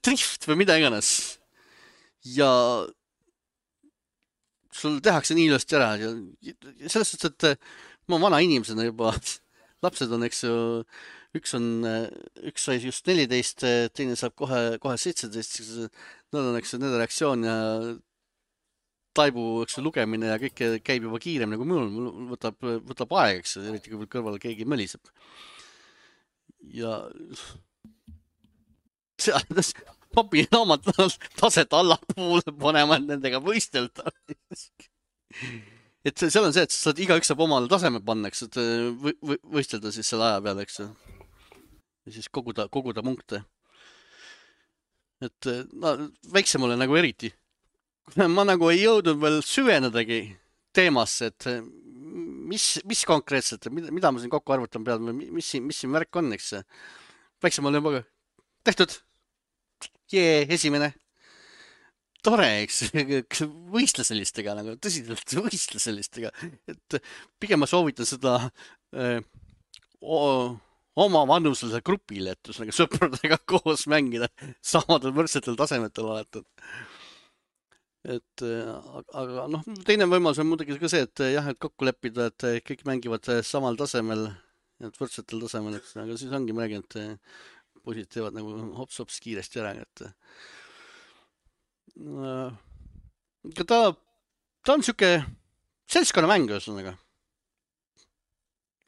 drift või mida iganes ja sul tehakse nii ilusti ära. Ja selles suhtes, et ma vana inimesena juba, lapsed on, eks ju, üks on, üks sai just neliteist, teine saab kohe, kohe seitseteist. Nad on, eks, nende reaktsioon ja taibu, eks, lugemine ja kõik käib juba kiirem nagu minul. Mul võtab, võtab aeg, eks, eriti kui kõrval keegi mõliseb. Ja papi naamad taset allapoole panema, et nendega võistelda. Et seal on see, et sa saad igaüks saab omale taseme panna, eks, et võistelda siis selle aja peale, eks. Ja siis koguda, koguda punkte. Et no, väiksemale nagu eriti. Ma nagu ei jõudnud veel süvenedagi teemasse, et mis, mis konkreetselt, mida, mida ma siin kokku arvutan peal, mis, mis siin värk on, eks. Väiksemale juba tehtud. Jee, esimene. Tore, eks. Võistle sellistega, nagu tõsiselt võistle sellistega. Et pigem ma soovitan seda öö, oma vanusele grupile, et nagu sõpradega koos mängida samadel võrdsetel tasemetel oletud. Et aga noh, teine võimalus on muidugi ka see, et jah, et kokku leppida, et kõik mängivad samal tasemel, et võrdsetel tasemel, eks, aga siis ongi mägi, et poisid teevad nagu hops-hops kiiresti ära, et äh, ta, ta on siuke seltskonnamäng, ühesõnaga.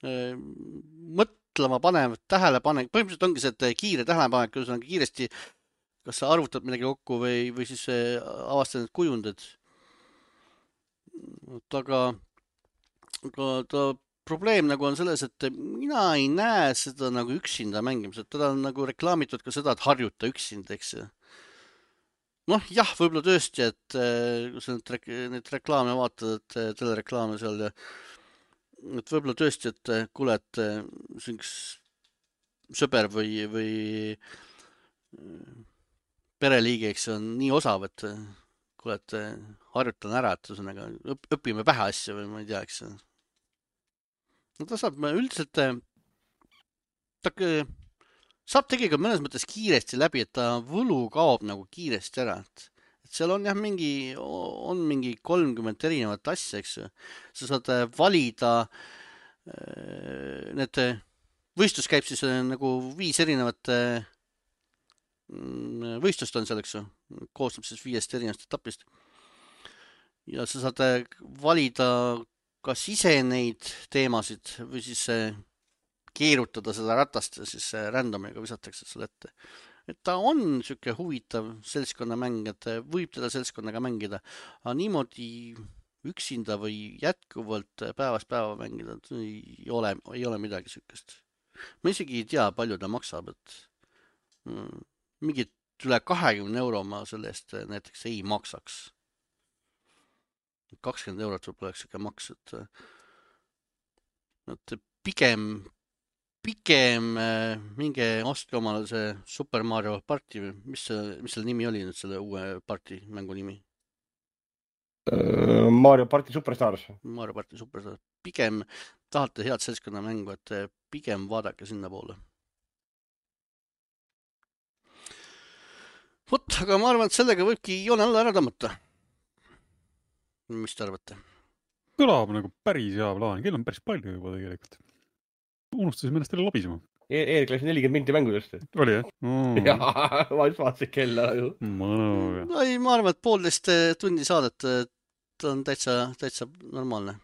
Mõtlema panev, tähelepanek, põhimõtteliselt ongi see, et kiire tähelepanek, ühesõnaga kiiresti, kas sa arvutad midagi kokku või, või siis avastad need kujundid. Aga, aga ta probleem nagu on selles, et mina ei näe seda nagu üksinda mängimised, teda on nagu reklaamitud ka seda, et harjuta üksinda, eks ju. Noh, jah, võib-olla tõesti, et kui sa nüüd rek neid reklaame vaatad, et telereklaame seal ja et võib-olla tõesti, et kuule, et see üks sõber või, või pereliige, eks on nii osav, et kuule, et harjutan ära, et ühesõnaga õpime pähe asja või ma ei tea, eks. No ta saab üldiselt, ta saab tegelikult mõnes mõttes kiiresti läbi, et ta võlu kaob nagu kiiresti ära, et et seal on jah mingi, on mingi kolmkümmend erinevat asja, eks ju. Sa saad valida, need võistlus käib siis nagu viis erinevat võistlust on seal, eks ju. Koostab siis viiest erinevast etapist. Ja sa saad valida kas ise neid teemasid või siis keerutada seda ratast ja siis randomiga visatakse selle ette. Et ta on siuke huvitav seltskonnamäng, et võib teda seltskonnaga mängida, aga niimoodi üksinda või jätkuvalt päevast päeva mängida ei ole, ei ole midagi siukest. Ma isegi ei tea, palju ta maksab, et mm, mingit üle kahekümne euro ma selle eest näiteks ei maksaks. kakskümmend eurot võib-olla oleks siuke maks, et, et pigem Pikem minge ostke omale see Super Mario Party, mis, mis selle nimi oli nüüd selle uue party mängu nimi? Mario Party Superstars. Mario Party Superstars. Pigem tahate head seltskonna mängu, et pigem vaadake sinna poole. Vot, aga ma arvan, et sellega võibki joone alla ära tõmmata. Mis te arvate? Kõlab nagu päris hea plaan. Kell on päris palju juba tegelikult. Unustasime ennast jälle labisema. Eerik läks nelikümmend minti mängudest. Oli, jah? Oh. Jaa, ma just vaatasin kella ju. Mõnu. No ei, ma arvan, et poolteist tundi saadet on täitsa, täitsa normaalne.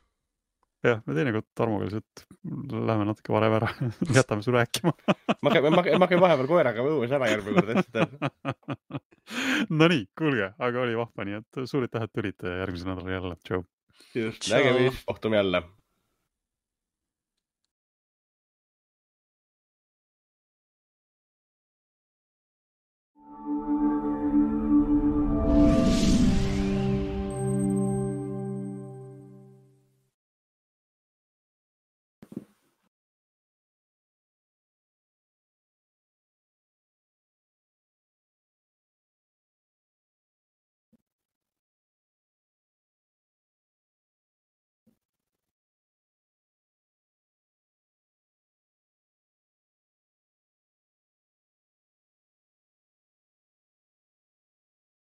Jah, me teinekord Tarmoga lihtsalt läheme natuke varem ära. Jätame su rääkima. ma käin, ma käin, ma käin vahepeal koeraga õues ära järgmine kord. No nii, kuulge, aga oli vahva, nii et suurid tähed tulid järgmise nädala jälle. Tšau. Just, nägemist, kohtume jälle.